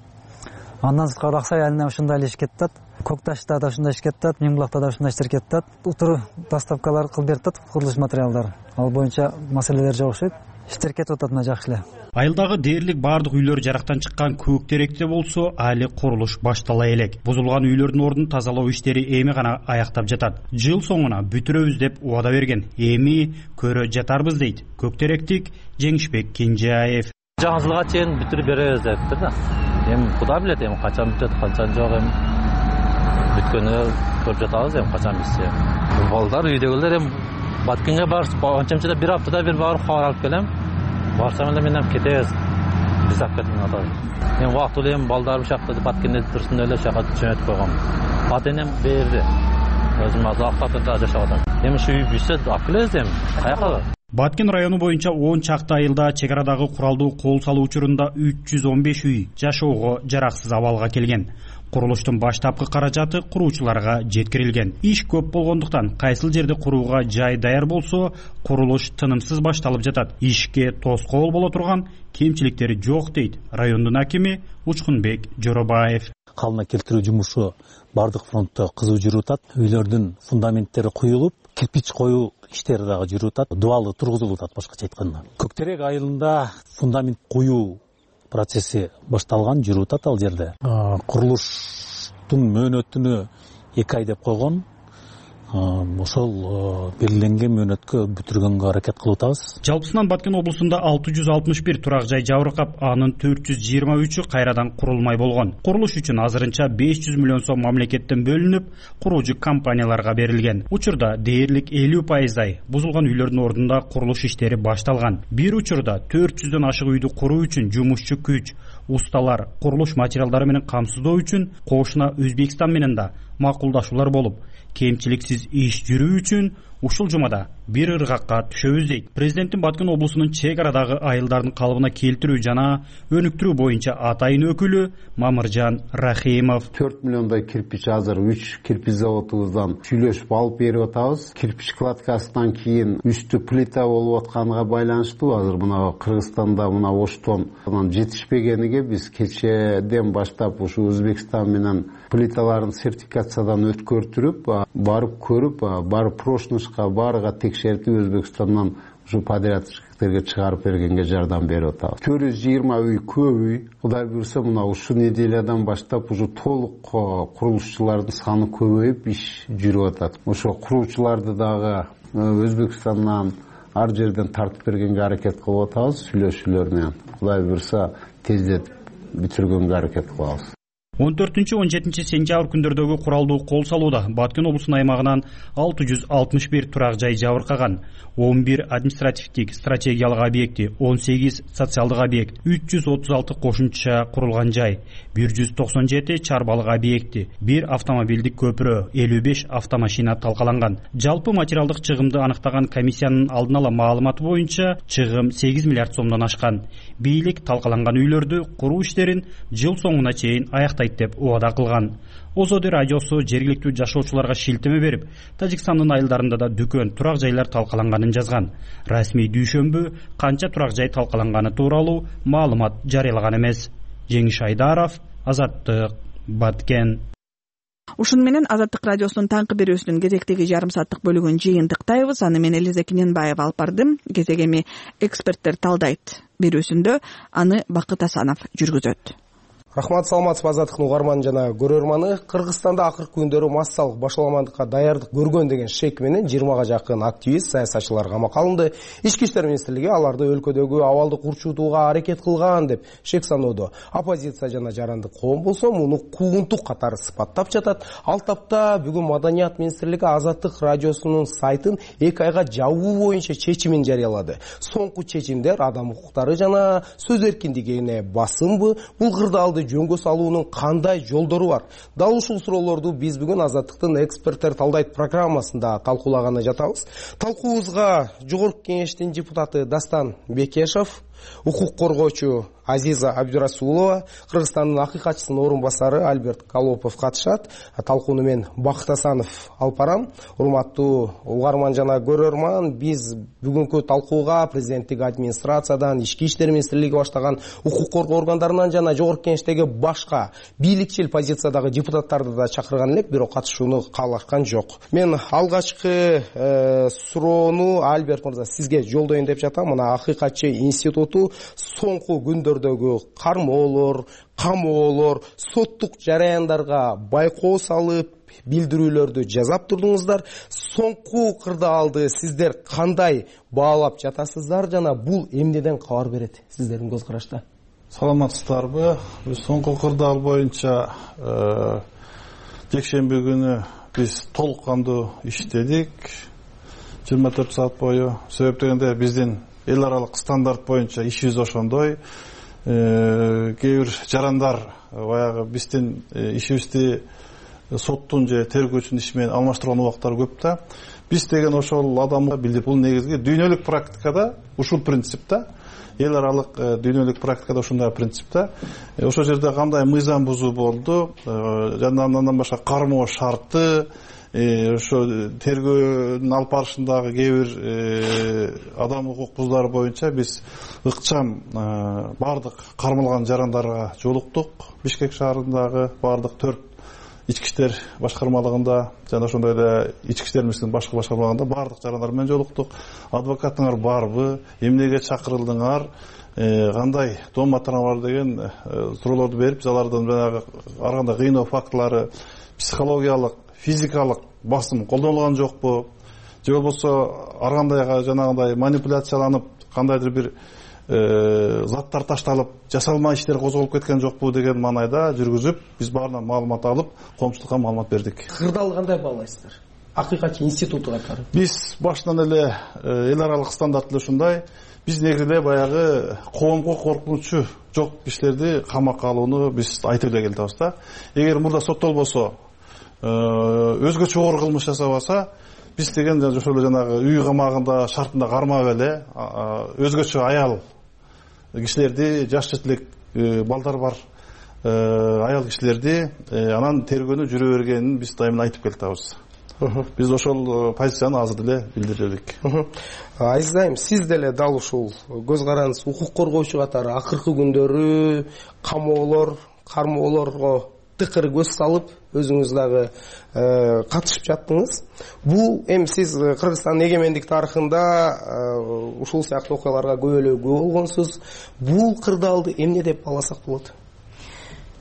Андан сырткары Аксай айылында ушундай эле иш кетет. Көк Ташта да ушундай иш кетет, Миңбулакта да ушундай иштер кетет. Утуру доставкалар кылып берет, курулуш материалдары. Ал боюнча маселелер жок окшойт. Иштер кетип атат мына жакшы эле. Айылдагы дээрлик бардык үйлөр жарактан чыккан. Көк Теректе болсо али курулуш баштала элек. Бузулган үйлөрдүн ордун тазалоо иштери эми гана аяктап жатат. Жыл соңуна бүтүрөбүз деп убада берген. Эми көрө жатарбыз дейт Көк Теректик Жеңишбек Кенжеаев. Жаңы жылга чейин бүтүрүп беребиз депти да. Эми Кудай билет, эми качан бүтөт, качан жок, эми бүткөнү көрүп жатабыз, эми качан битсе. Балдар үйдөгүлөр эми Баткенге барып, анчамчада бир аптада бир барып кабар алып келем. Барсам эле менен кетебиз. Биз алып кеткен атабыз. Эми убактылуу эми балдарым шакта Баткенде турсун эле шака жөнөтүп койгом. Ата энем берди. Өзүм азыр Аксайда жашап атам. Эми ушу үй бүтсө алып келебиз эми. Каяка? Баткен району боюнча 10 чакты айылда чек арадагы куралдуу кол салуу учурунда 315 үй жашоого жараксыз абалга келген. Курулуштун баштапкы каражаты куруучуларга жеткирилген. Иш көп болгондуктан кайсыл жерде курууга жай даяр болсо, курулуш тынымсыз башталып жатат. Ишке тоскоол боло турган кемчиликтери жок дейт райондун акими Учкунбек Жоробаев. Калына келтирүү жумушу бардык фронтто кызуу жүрүп атат. Үйлөрдүн фундаменттери куюлуп, кирпич коюу иштери дагы жүрүп атат. Дубалы тургузулуп атат, башкача айтканда. Көк Терек айылында фундамент куюу процесси башталган, жүрүп атат ал жерде. Курулуштун мөөнөтүнө 2 ай деп койгон. Ошол белгиленген мөөнөткө бүтүргөнгө аракет кылып атабыз. Жалпысынан Баткен облусунда 661 турак жай жабыркап, анын 423-ü кайрадан курулмай болгон. Курулуш үчүн азырынча 500 миллион сом мамлекеттен бөлүнүп, куруучу компанияларга берилген. Учурда дээрлик 50% бузулган үйлөрдүн ордунда курулуш иштери башталган. Бир учурда 400дөн ашык үйдү куруу үчүн жумушчу күч, усталар, курулуш материалдары менен камсыздоо үчүн кошуна Өзбекстан менен да макулдашуулар болуп, кемчиликсиз иш жүрүү үчүн ушул жумада бир ыргакка түшөбүз дейт президенттин Баткен облусунун чек арадагы айылдардын калыбына келтирүү жана өнүктүрүү боюнча атайын өкүлү Мамыржан Рахимов. 4 миллиондой кирпич азыр 3 кирпич заводубуздан сүйлөшүп алып берип атабыз. Кирпич кладкасынан кийин үстү плита болуп атканга байланыштуу азыр мына Кыргызстанда мына Оштон жетишпегениге биз кечеден баштап ушу Өзбекстан менен плиталарын сертификациядан өткөртүрүп, барып көрүп, барып прошнышка баарыга текшертип Өзбекстандан ушу подрядчиктерге чыгарып бергенге жардам берип атабыз. 420 үй көп үй. Кудай буйрса мына ушу неделядан баштап уже толук курулушчулардын саны көбөйүп иш жүрүп атат. Ошо куруучуларды дагы Өзбекстандан ар жерден тартып бергенге аракет кылып атабыз сүйлөшүүлөр менен. Кудай буйрса тездетип бүтүргөнгө аракет кылабыз. 14-17 сентябрь күндөрдөгү куралдуу кол салууда Баткен облусунун аймагынан 661 турак жай жабыркаган, 11 административдик стратегиялык объекти, 18 социалдык объект, 336 кошумча курулган жай, 197 чарбалык объекти, 1 автомобилдик көпүрө, 55 автомашина талкаланган. Жалпы материалдык чыгымды аныктаган комиссиянын алдын ала маалыматы боюнча чыгым 8 миллиард сомдон ашкан. Бийлик талкаланган үйлөрдү куруу иштерин жыл соңуна чейин аяктайт деп убада кылган. Озоди радиосу жергиликтүү жашоочуларга шилтеме берип, Тажикстандын айылдарында да дүкөн, турак жайлар талкаланганын жазган. Расмий дүйшөмбү канча турак жай талкаланганы тууралуу маалымат жарыялаган эмес. Жеңиш Айдаров, Азаттык, Баткен. Ушуну менен Азаттык радиосунун таңкы берүүсүнүн кезектеги жарым сааттык бөлүгүн жыйынтыктайбыз. Аны мен Элиза Кененбаева алып бардым. Кезек эми эксперттер талдайт берүүсүндө аны Бакыт Асанов жүргүзөт. Рахмат, саламатсызбы азаттыктын угарманы жана көрөрманы. Кыргызстанда акыркы күндөрү массалык башаламандыкка даярдык көргөн деген шек менен 20га жакын активист, саясатчылар камакка алынды. Ички иштер министрлиги аларды өлкөдөгү абалды курчутууга аракет кылган деп шек саноодо. Оппозиция жана жарандык коом болсо муну куугунтук катары сыпаттап жатат. Ал тапта бүгүн Маданият министрлиги Азаттык радиосунун сайтын 2 айга жабуу боюнча чечимин жарыялады. Соңку чечимдер адам укуктары жана сөз эркиндигине басымбы, бул кырдаалды жөнгө салуунун кандай жолдору бар? Дал ушул суроолорду биз бүгүн Азаттыктын эксперттер талдайт программасында талкуулаганы жатабыз. Талкуубузга Жогорку Кеңештин депутаты Дастан Бекешев, укук коргоочу Азиза Абдурасулова, Кыргызстандын акыйкатчысынын орун басары Альберт Колопов катышат. Талкууну мен Бакыт Асанов алып барам. Урматтуу угарман жана көрөрман, биз бүгүнкү талкууга президенттик администрациядан, ички иштер министрлиги баштаган укук коргоо органдарынан жана Жогорку Кеңештеги башка бийликчил позициядагы депутаттарды да чакырган элек, бирок катышууну каалашкан жок. Мен алгачкы суроону Альберт мырза сизге жолдоюн деп жатам. Мына акыйкатчы институту соңку күндөрдөгү кармоолор, камоолор, соттук жараяндарга байкоо салып, билдирүүлөрдү жазап турдуңуздар. Соңку кырдаалды сиздер кандай баалап жатасыздар жана бул эмнеден кабар берет сиздердин көз карашта? Саламатсыздарбы? Биз соңку кырдаал боюнча жекшемби күнү биз толук кандуу иштедик. 24 саат бою. Себеп дегенде биздин эл аралык стандарт боюнча ишибиз ошондой. Кээ бир жарандар баягы биздин ишибизди соттун же тергөөчүнүн иши менен алмаштырган убактар көп да. Биз деген ошол адамга билдип, бул негизги дүйнөлүк практикада ушул принцип да. Эл аралык дүйнөлүк практикада ушундай принцип да. Ошол жерде кандай мыйзам бузуу болду, жана андан башка кармоо шарты, ошо тергөөнүн алып барышындагы кээ бир адам укук бузуулары боюнча биз ыкчам бардык кармалган жарандарга жолуктук. Бишкек шаарындагы бардык 4 ички иштер башкармалыгында жана ошондой эле ички иштер министрлигинин башкы башкармалыгында бардык жарандар менен жолуктук. Адвокатыңар барбы, эмнеге чакырылдыңар, кандай дом материалы бар деген суроолорду берип, биз алардан жанагы ар кандай кыйноо фактылары, психологиялык, физикалык басым колдонулган жокпу, же болбосо ар кандай жанагындай манипуляцияланып, кандайдыр бир заттар ташталып, жасалма иштер козголуп кеткен жокпу деген маанайда жүргүзүп, биз баарынан маалымат алып, коомчулукка маалымат бердик. Кырдаалды кандай баалайсыздар? Акыйкатчы институту катары. Биз башынан эле эл аралык стандарт ошондой. Биз негизинде баягы коомго коркунучу жок кишилерди камакка алууну биз айтып эле келдибиз да. Эгер мурда соттолбосо, өзгөчө оор кылмыш жасабаса, биз деген ошол эле жанагы үй камагында шартында кармап эле өзгөчө аял кишилерди, жаш жетилек балдар бар аял кишилерди анан тергөөнү жүрө бергенин биз дайыма айтып келатабыз. Биз ошол позицияны азыр деле билдирдик. Азиз айым, сиз деле дал ушул көз карандысыз, укук коргоочу катары акыркы күндөрү камоолор, кармоолорго тыкыр көз салып, өзүңүз дагы катышып жаттыңыз. Бул эми сиз Кыргызстандын эгемендик тарыхында ушул сыяктуу окуяларга көп эле күбө болгонсуз. Бул кырдаалды эмне деп бааласак болот?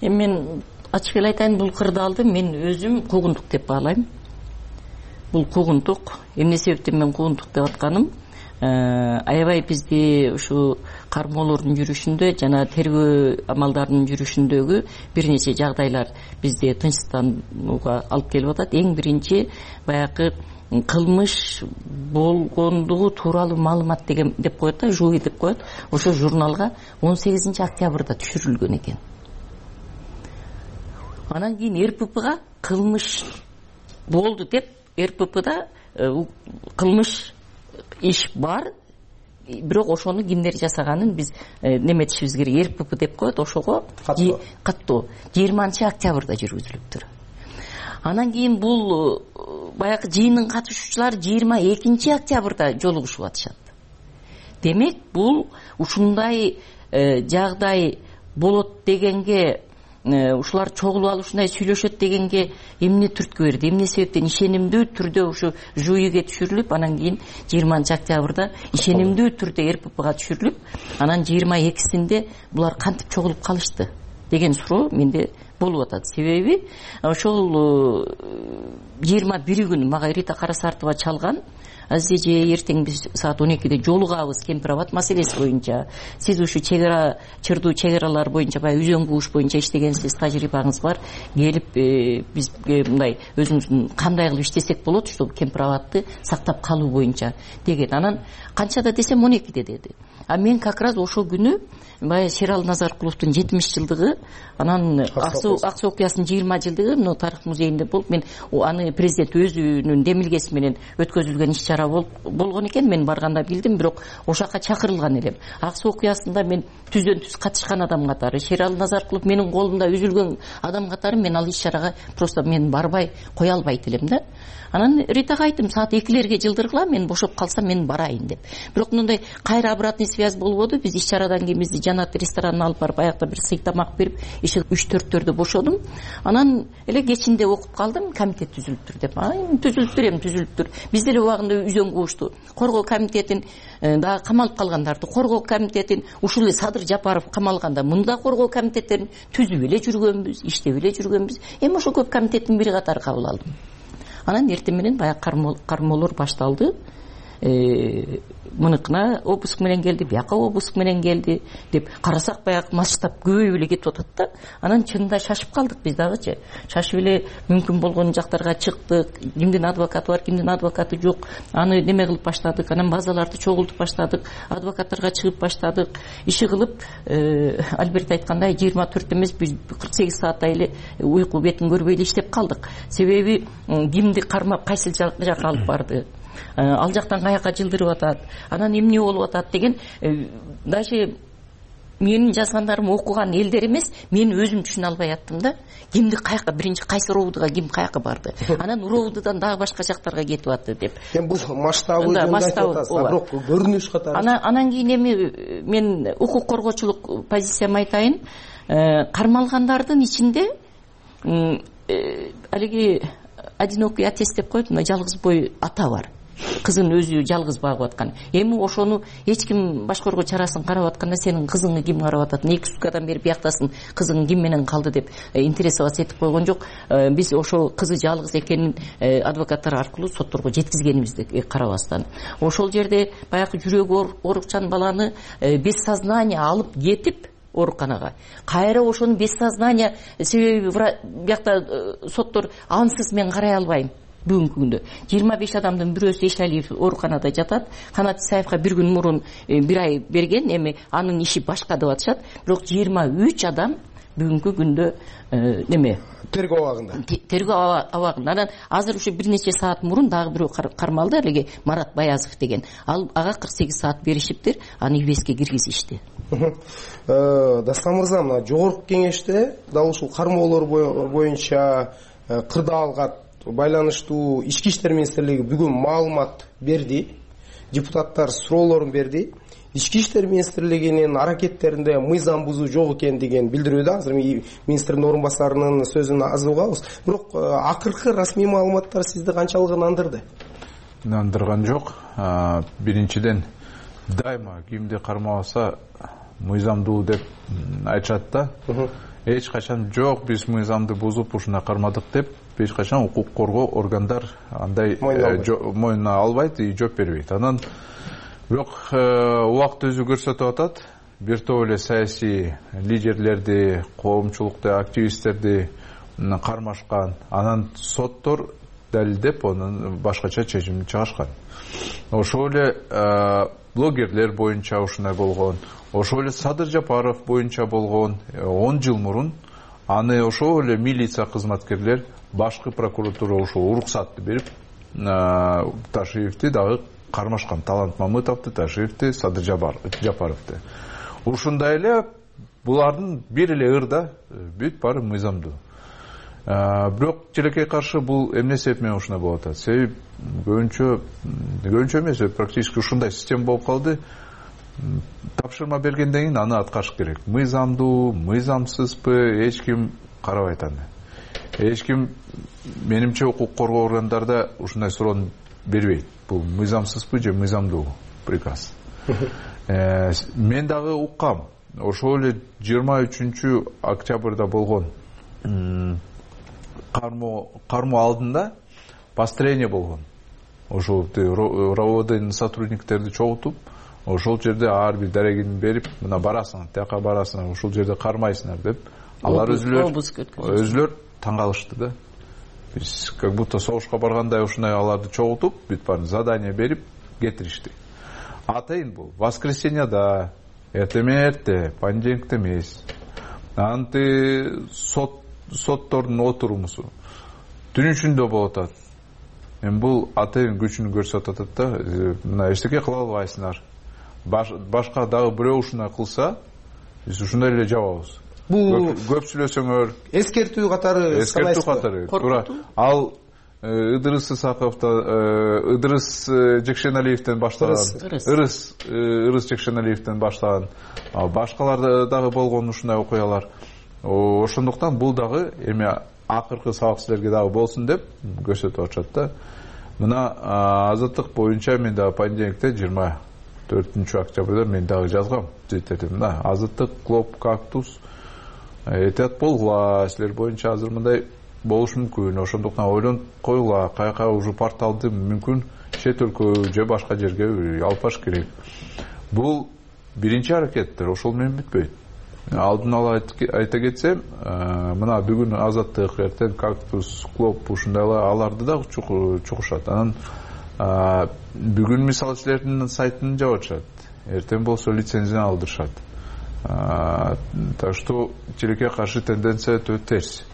Эми мен ачык эле айтайын, бул кырдаалды мен өзүм куугунтук деп баалайм. Бул куугунтук. Эмне себептен мен куугунтук деп атканым? Аябай бизди ушу кармоолордун жүрүшүндө жана тергөө амалдарынын жүрүшүндөгү бир нече жагдайлар бизди тынчсызданууга алып келип атат. Эң биринчи баягы кылмыш болгондугу тууралуу маалымат деген деп коет да, жуй деп коет. Ошо журналга 18 октябрда түшүрүлгөн экен. Анан кийин РППга кылмыш болду деп, РППда кылмыш иш бар, бирок ошону кимдер жасаганын биз неметишибиз керек. РПП деп коет, ошого каттоо 20 октябрда жүргүзүлүптүр. Анан кийин бул баягы жыйындын катышуучулары 22 октябрда жолугушуп атышат. Демек бул ушундай жагдай болот дегенге, ушулар чогулуп алып ушундай сүйлөшөт дегенге эмне түрткү берди, эмне себептен ишенимдүү түрдө ушу жуйге түшүрүлүп, анан кийин 20 октябрда ишенимдүү түрдө РППга түшүрүлүп, анан 22-синде булар кантип чогулуп калышты? деген суроо менде болуп атат. Себеби ошол 21 күн мага Рита Карасартова чалган: Азиз эже, эртең биз саат 12-де жолугабыз Кемпир абад маселеси боюнча. Сиз ушу чырдуу чегаралар боюнча, баягы үзөң кууш боюнча иштегенсиз, тажрыйбаңыз бар. Келип бизге мындай өзүңүздүн кандай кылып иштесек болот, ушул Кемпир абадты сактап калуу боюнча деген. Анан канчада десем 12-де деди. А мен как раз ошол күнү баягы Шералы Назаркуловдун 70 жылдыгы, анан Аксы окуясынын 20 жылдыгы мына тарых музейинде болуп, мен аны президент өзүнүн демилгеси менен өткөзүлгөн иш-чара болгон экен. Мен барганда билдим, бирок ошол жака чакырылган элем. Аксы окуясында мен түздөн түз катышкан адам катары, Шералы Назаркулов менин колумда үзүлгөн адам катары мен ал иш-чарага просто мен барбай кое албайт элем да. Анан Ритага айттым, саат 2-лерге жылдыргыла, мен бошоп калсам мен барайын деп. Бирок мындай кайра обратный связь болбоду. Биз иш-чарадан кийин бизди Жанат ресторанына алып барып, аякта бир сый тамак берип, иши 3-4-төрдө бошодум. Анан эле кечинде окуп калдым, комитет түзүлүптүр деп. Түзүлүптүр. Биз деле убагында үзөң куушту коргоо комитетин, дагы камалып калгандарды коргоо комитетин, ушул эле Садыр Жапаров камалганда мында коргоо комитеттерин түзүп эле жүргөнбүз, иштеп эле жүргөнбүз. Эми ошол көп комитеттин бири катары кабыл алдым. Анан эртең менен баягы кармоолор башталды. Мыныкына обыск менен келди, бияка обыск менен келди деп карасак, баягы масштаб көбөйүп эле кетип атат да. Анан чынында шашып калдык биз дагычы. Шашып эле мүмкүн болгон жактарга чыктык. Кимдин адвокаты бар, кимдин адвокаты жок. Аны неме кылып баштадык. Анан базаларды чогултуп баштадык. Адвокаттарга чыгып баштадык. Иши кылып, Альберт айткандай 24 эмес 48 сааттай эле уйку бетин көрбөй эле иштеп калдык. Себеби кимди кармап кайсыл жака алып барды, ал жактан каяка жылдырып атат, анан эмне болуп атат деген. Даже менин жазгандарым окуган элдер эмес, мен өзүм түшүнө албай аттым да. Кимди каяка, биринчи кайсы роудуга ким каяка барды, анан роудудан дагы башка жактарга кетип атты деп. Эми бул масштабы жөнүндө айтып атасыз, бирок көрүнүш катары. Анан кийин эми мен укук коргоочулук позициямды айтайын. Кармалгандардын ичинде алиги одинокий отец деп коет, мына жалгыз бой ата бар. Кызын өзү жалгыз багып аткан. Эми ошону эч ким башкаруу чарасын карап атканда, сенин кызыңды ким карап атат, 2 суткадан бери бияктасың, кызың ким менен калды деп интересоваться этип койгон жок. Биз ошол кызы жалгыз экенин адвокаттар аркылуу сотторго жеткизгенибизди карабастан. Ошол жерде баягы жүрөгү оорукчан баланы без сознания алып кетип ооруканага, кайра ошону без сознания, себеби биякта соттор ансыз мен карай албайм. Бүгүнкү күндө 25 адамдын бирөөсү Эшалиев ооруканада жатат. Канат Исаевга 1 күн мурун 1 ай берген, эми анын иши башка деп атышат. Бирок 23 адам бүгүнкү күндө неме тергөө абагында. Тергөө абагында. Анан азыр ушу бир нече саат мурун дагы бирөө кармалды, эле Марат Баязов деген. Ага 48 саат беришиптир, аны ИВСке киргизишти. Дастан мырза, мына жогорку кеңеште дал ушул кармоолор боюнча кырдаалга байланыштуу Ички иштер министрлиги бүгүн маалымат берди. Депутаттар суроолорун берди. Ички иштер министрлигинин аракеттеринде мыйзам бузуу жок экен деген билдирүүдө. Азыр министрдин орун басарынын сөзүн аз угабыз. Бирок акыркы расмий маалыматтар сизди канчалык ынандырды? Ынандырган жок. Биринчиден, дайыма кимди кармабаса мыйзамдуу деп айтышат да. Эч качан жок, биз мыйзамды бузуп ушуна кармадык деп эч качан укук коргоо органдар андай мойнуна албайт и жооп бербейт. Анан бирок убакыт өзү көрсөтүп атат, бир топ эле саясий лидерлерди, коомчулукты, активисттерди кармашкан. Анан соттор далилдеп анын башкача чечим чыгышкан. Ошол эле блогерлер боюнча ушундай болгон. Ошол эле Садыр Жапаров боюнча болгон 10 жыл мурун. Аны ошол эле милиция кызматкерлер башкы прокуратура ошол уруксатты берип Ташиевди дагы кармашкан. Талант Мамытовду, Ташиевди, Садыр Жапаровду. Ушундай эле булардын бир эле ырда бүт баары мыйзамдуу. Бирок тилекке каршы бул эмне себеп менен ушундай болуп атат? Себеби көбүнчө эмес, практически ушундай система болуп калды. Тапшырма бергенден кийин аны аткарыш керек. Мыйзамдуу, мыйзамсызбы, эч ким карабайт аны. Эч ким, менимче, укук коргоо органдарда ушундай суроону бербейт. Бул мыйзамсызбы же мыйзамдуу приказ. Мен дагы уккам. ошол эле 23 октябрда болгон кармоо алдында построение болгон. Ошол РОВДнын сотрудниктерди чогултуп, ошол жерде ар бир дарегин берип, мына барасыңар, тияка барасыңар, ошол жерде кармайсыңар деп, алар өзүлөр таң калышты да. Биз как будто согушка баргандай ушундай аларды чогултуп, бүт баарын задание берип кетиришти. Атайын бул воскресеньяда, эрте, понедельникте эмес. Анты соттордун отурумусу түн ичинде болуп атат. Эми бул атайын күчүн көрсөтүп атат да. Мына эчтеке кыла албайсыңар. Башка дагы бирөө ушундай кылса, биз ушундай эле жабабыз. Бул көп сүйлөсөңөр эскертүү катары. Туура. Ал Ыдырыс Жекшеналиевден баштаган, Ырыс Жекшеналиевден баштаган, башкаларда дагы болгон ушундай окуялар. Ошондуктан бул дагы эми акыркы сабак силерге дагы болсун деп көрсөтүп атышат да. Мына азаттык боюнча мен дагы понедельникте 24 октябрда мен дагы жазгам. Мына азаттык, Клоп, Кактус этият болгула, силер боюнча азыр мындай болуш мүмкүн. Ошондуктан ойлонуп койгула, каяка уже порталды мүмкүн чет өлкө же башка жерге алып барыш керек. Бул биринчи аракеттер, ошол менен бүтпөйт. Алдын ала айта кетсем, мына бүгүн азаттык, эртең Кактус, Клоп ушундайлар аларды да чукушат. Анан бүгүн мисалы силердин сайтын жабышат. Эртең болсо лицензияны алдырышат. Так что тилекке каршы тенденция өтө терс.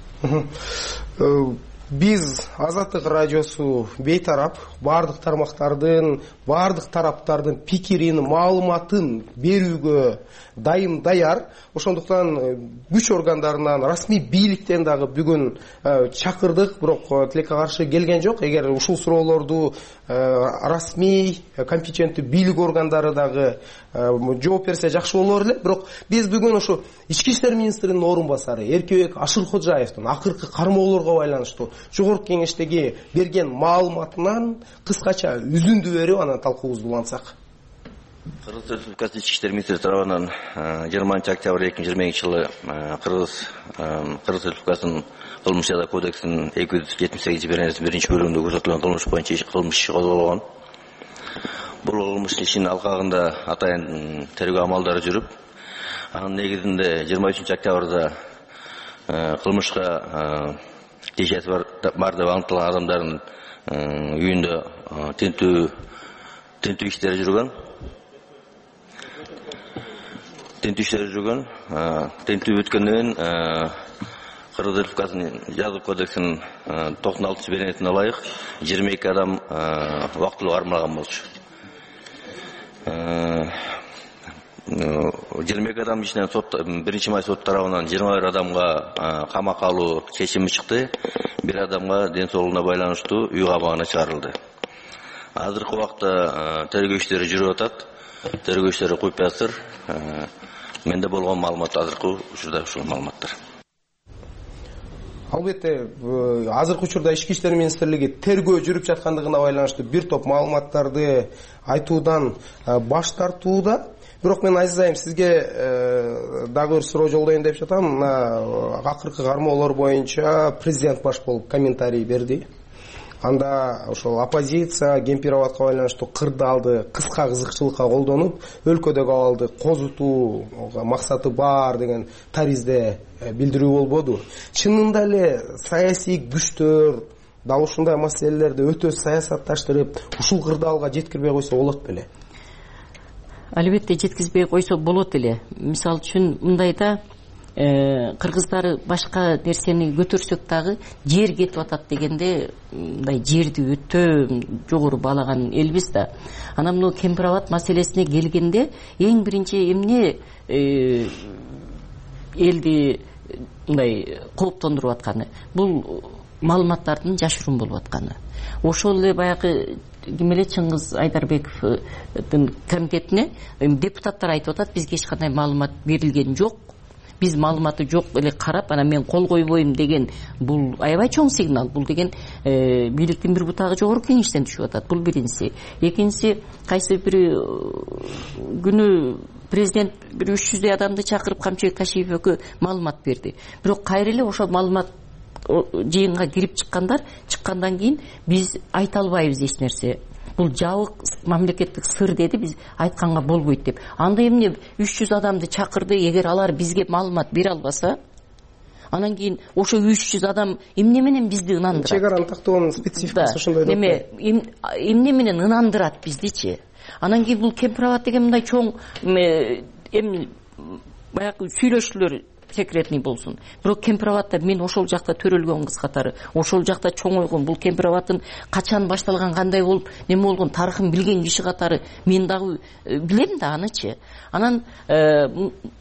Биз Азаттык радиосу бейтарап, бардык тармактардын, бардык тараптардын пикирин, маалыматын берүүгө даяр. Ошондуктан күч органдарынан, расмий бийликтен дагы бүгүн чакырдык, бирок тилекке каршы келген жок. Эгер ушул суроолорду расмий, компетенттүү бийлик органдары дагы жооп берсе жакшы болор эле. Бирок биз бүгүн ошо Ички иштер министринин орун басары Эркебек Ашыркожаевдин акыркы кармоолорго байланыштуу жогорку кеңештеги берген маалыматынан кыскача үзүндү берип анан талкуубузду улантсак. Кыргыз Республикасы Ички иштер министри тарабынан 20 октябрь 2020 жылы Кыргыз Республикасынын кылмыш жаза кодексинин 278 биринчи бөлүгүндө көрсөтүлгөн кылмыш боюнча кылмыш иши козголгон. Бул кылмыш ишинин алкагында атайын тергөө амалдары жүрүп, анын негизинде 23 октябрда кылмышка тиешеси бар деп аныкталган адамдардын үйүндө тинтүү иштери жүргөн. Тинтүү бүткөндөн кийин Кыргыз Республикасынын жаза кодексинин 96 беренетине ылайык 22 адам убактылуу кармалган болчу. 22 адам ичинен биринчи май сот тарабынан 21 адамга камакка алуу чечими чыкты. Бир адамга ден соолугуна байланыштуу үй камагына чыгарылды. Азыркы убакта тергөө иштери жүрүп атат. Тергөө иштери куюп жатыр. Менде болгон маалымат азыркы учурда ушул маалыматтар. Албетте, азыркы учурда Ички иштер министрлиги тергөө жүрүп жаткандыгына байланыштуу бир топ маалыматтарды айтуудан баш тартууда. Бирок мен Азиз айым сизге дагы бир суроо жолдоюн деп жатам. Мына акыркы кармоолор боюнча президент баш болуп комментарий берди. Анда ошол оппозиция Гемпироватка байланыштуу кырдаалды кыска кызыкчылыкка колдонуп, өлкөдөгү абалды козутуу максаты бар деген таризде билдирүү болбоду. Чынында эле саясий күчтөр дал ушундай маселелерди өтө саясатташтырып, ушул кырдаалга жеткирбей койсо болот беле? Албетте жеткизбей койсо болот эле. Мисалы үчүн мындайда кыргыздар башка нерсени көтөрсөк дагы жер кетип атат дегенде мындай жерди өтө жогору баалаган элбиз да. Анан мына Кемпироват маселесине келгенде эң биринчи эмне элди мындай кооптондуруп атканы бул маалыматтардын жашыруун болуп атканы. Ошол эле баягы ким эле Чыңгыз Айдарбековдун комитетине депутаттар айтып атат, бизге эч кандай маалымат берилген жок. Биз маалыматы жок эле карап, анан мен кол койбойм деген бул аябай чоң сигнал. Бул деген бийликтин бир бутагы жогорку кеңештен түшүп атат. Бул биринчиси. Экинчиси, кайсы бир күнү президент бир 300 адамды чакырып Камчыбек Кашиевке маалымат берди. Бирок кайра эле ошол маалымат жыйынга кирип чыккандан кийин биз айта албайбыз эч нерсе. Бул жабык мамлекеттик сыр деди, биз айтканга болбойт деп. Анда эмне 300 адамды чакырды, эгер алар бизге маалымат бере албаса, анан кийин ошо 300 адам эмне менен бизди ынандырат? Чек араны тактоонун спецификасы ошондой деп. Эмне менен ынандырат биздичи? Анан кийин бул Кемпирабад деген мындай чоң баягы сүйлөшүүлөр секретный болсун. Бирок Кемпирабадда мен ошол жакта төрөлгөн кыз катары, ошол жакта чоңойгон, бул Кемпирабаддын качан башталган, кандай болуп, неме болгон тарыхын билген киши катары мен дагы билем да анычы. Анан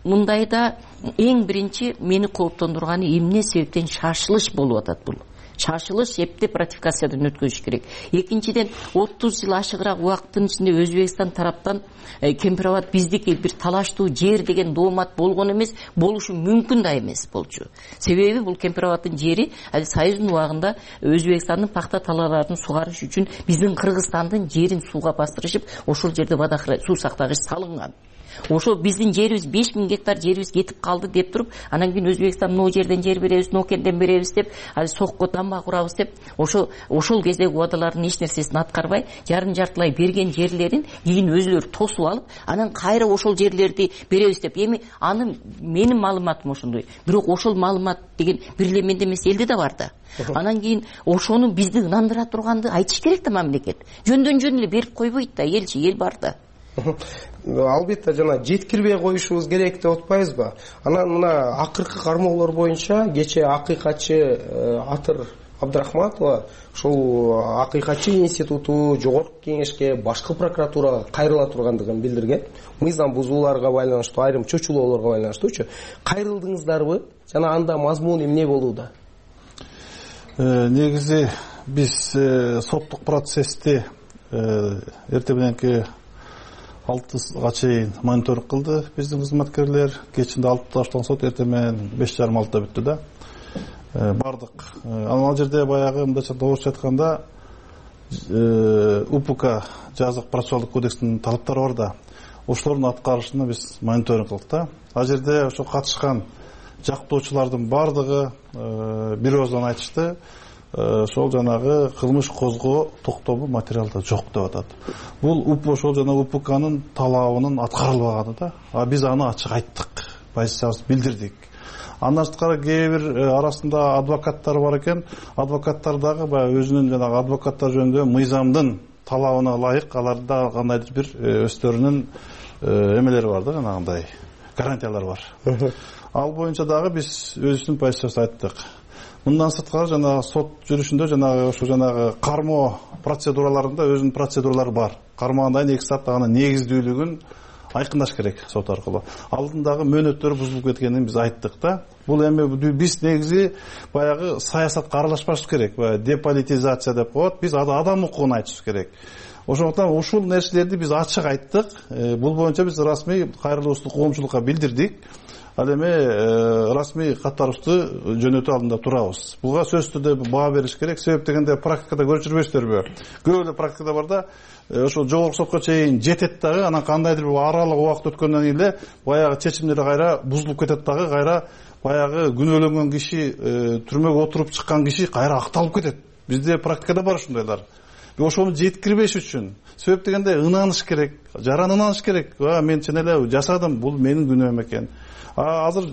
мындайда эң биринчи мени кооптондурганы эмне себептен шашылыш болуп атат бул. Шашылыш эптеп ратификациядан өткөзүш керек. Экинчиден 30 жыл ашыгыраак убакыттын ичинде Өзбекстан тараптан Кемпирабад биздики бир талаштуу жер деген доомат болгон эмес, болушу мүмкүн да эмес болчу. Себеби бул Кемпирабаддын жери Союздун убагында Өзбекстандын пахта талааларын сугарыш үчүн биздин Кыргызстандын жерин сууга бастырышып, ошол жерде суу сактагыч салынган. Ошо биздин жерибиз 5000 гектар жерибиз кетип калды деп туруп, анан кийин Өзбекстан мына жерден жер беребиз, Нокенден беребиз деп, сокко дамба курабыз деп, ошол кездеги убадалардын эч нерсесин аткарбай, жартылай берген жерлерин кийин өзүлөрү тосуп алып, анан кайра ошол жерлерди беребиз деп. Эми аны менин маалыматым ошондой. Бирок ошол маалымат деген бир эле менде эмес, элде да бар да. Анан кийин ошону бизди ынандыра турганды айтыш керек да мамлекет. Жөндөн жөн эле берип койбойт да, элчи эл бар да. Албетте жана жеткирбей коюшубуз керек деп атпайбызбы? Анан мына акыркы кармоолор боюнча кечээ акыйкатчы Атыр Абдрахматова ушул акыйкатчы институту жогорку кеңешке, башкы прокуратурага кайрыла тургандыгын билдирген. Мыйзам бузууларга байланыштуу, айрым чочулоолорго байланыштуучу кайрылдыңыздарбы? Жана анда мазмун эмне болууда? Негизи биз соттук процессти эртең мененки 6-га чейин мониторинг кылды биздин кызматкерлер. Кечинде 6-таштан сот, эртең менен 5:30-6-да бүттү да. Бардык. Ал жерде баягы мындайча орусча айтканда УПК жазык процессуалдык кодекстин талаптары бар да. Ошолордун аткарышына биз мониторинг кылдык да. Ал жерде ошо катышкан жактоочулардын бардыгы бир ооздан айтышты. Ошол жанагы кылмыш козгоо токтому материалда жок деп атат. Бул ошол жана УПКнын талабынын аткарылбаганы да. Биз аны ачык айттык, позициябызды билдирдик. Андан сырткары кээ бир арасында адвокаттар бар экен. Адвокаттар дагы баягы өзүнүн жанагы адвокаттар жөнүндө мыйзамдын талабына ылайык аларда кандайдыр бир өздөрүнүн эмелери бар да, жанагындай гарантиялар бар. Ал боюнча дагы биз өзүбүздүн позициябызды айттык. Мындан сырткары жанагы сот жүрүшүндө жанагы ошо жанагы кармоо процедураларында өзүнүн процедуралары бар. Кармоодон 2 саат анын негиздүүлүгүн айкындаш керек сот аркылуу. Алдындагы мөөнөттөр бузулуп кеткенин биз айттык да. Бул эми биз негизи баягы саясатка аралашпашыбыз керек. Деполитизация деп коет. Биз адам укугун айтышыбыз керек. Ошондуктан ушул нерселерди биз ачык айттык. Бул боюнча биз расмий кайрылуубузду коомчулукка билдирдик. Ал эми расмий каттарыбызды жөнөтүү алдында турабыз. Буга сөзсүз түрдө баа бериш керек. Себеп дегенде практикада көрүп жүрбөйсүздарбы? Көп эле практикада бар да, ошо жогорку сотко чейин жетет дагы, анан кандайдыр бир аралык убакыт өткөндөн кийин эле баягы чечимдер кайра бузулуп кетет дагы, кайра баягы күнөөлөнгөн киши, түрмөгө отуруп чыккан киши кайра акталып кетет. Бизде практикада бар ушундайлар. Ошону жеткирбеш үчүн себеп дегенде ынаныш керек, жаран ынаныш керек. Мен чын эле жасадым, бул менин күнөөм экен. Азыр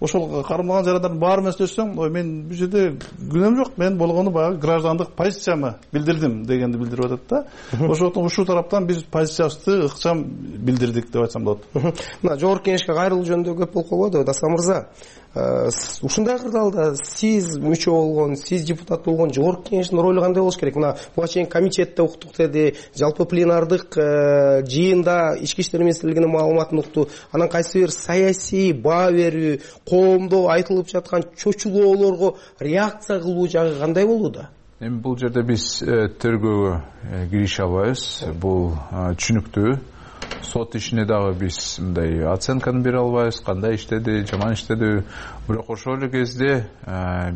ошол кармалган жарандардын баары менен сөзсөң, мен бул жерде күнөөм жок, мен болгону баягы граждандык позициямы билдирдим дегенди билдирип атат да. Ошондуктан ушул тараптан биз позициябызды ыкчам билдирдик деп айтсам болот. Мына жогорку кеңешке кайрылуу жөнүндө көп болуп калбады, Дастан мырза. Ушундай кырдаалда сиз мүчө болгон, сиз депутат болгон жогорку кеңештин ролу кандай болуш керек? Мына буга чейин комитетте уктук деди, жалпы пленардык жыйында ички иштер министрлигинин маалыматын укту. Анан кайсы бир саясий баа берүү, коомдо айтылып жаткан чочулоолорго реакция кылуу жагы кандай болууда? Эми бул жерде биз тергөөгө кириши албайбыз. Бул түшүнүктүү. Сот ишине дагы биз мындай оценканы бере албайбыз, кандай иштеди, жаман иштеди. Бирок ошол эле кезде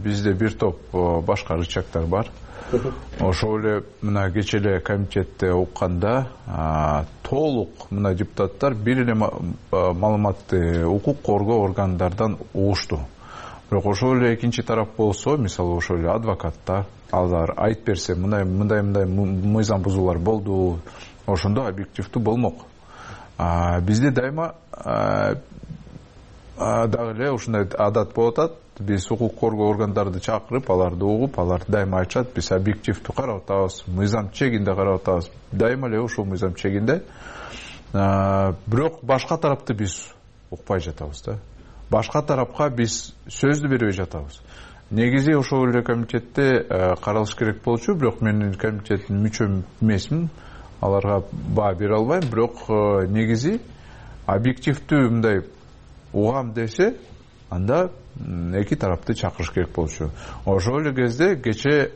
бизде бир топ башка рычагдар бар. ошол эле мына кечээ эле комитетте укканда толук мына депутаттар бир эле маалыматты укук коргоо органдардан угушту. Бирок ошол эле экинчи тарап болсо, мисалы ошол эле адвокаттар, алар айтып берсе, мындай мыйзам бузуулар болду, ошондо объективдүү болмок. Бизде дайыма дагы эле ушундай адат болуп атат. Биз укук коргоо органдарды чакырып, аларды угуп, алар дайыма айтышат, биз объективдүү карап атабыз, мыйзам чегинде карап атабыз. Дайыма эле ушул мыйзам чегинде. Бирок башка тарапты биз укпай жатабыз да. Башка тарапка биз сөздү бербей жатабыз. Негизи ошол эле комитетте каралыш керек болчу, бирок мен комитеттин мүчө эмесмин. Аларга баа бере албайм, бирок негизи объективдүү мындай угам десе, анда эки тарапты чакырыш керек болчу. Ошол эле кезде кечээ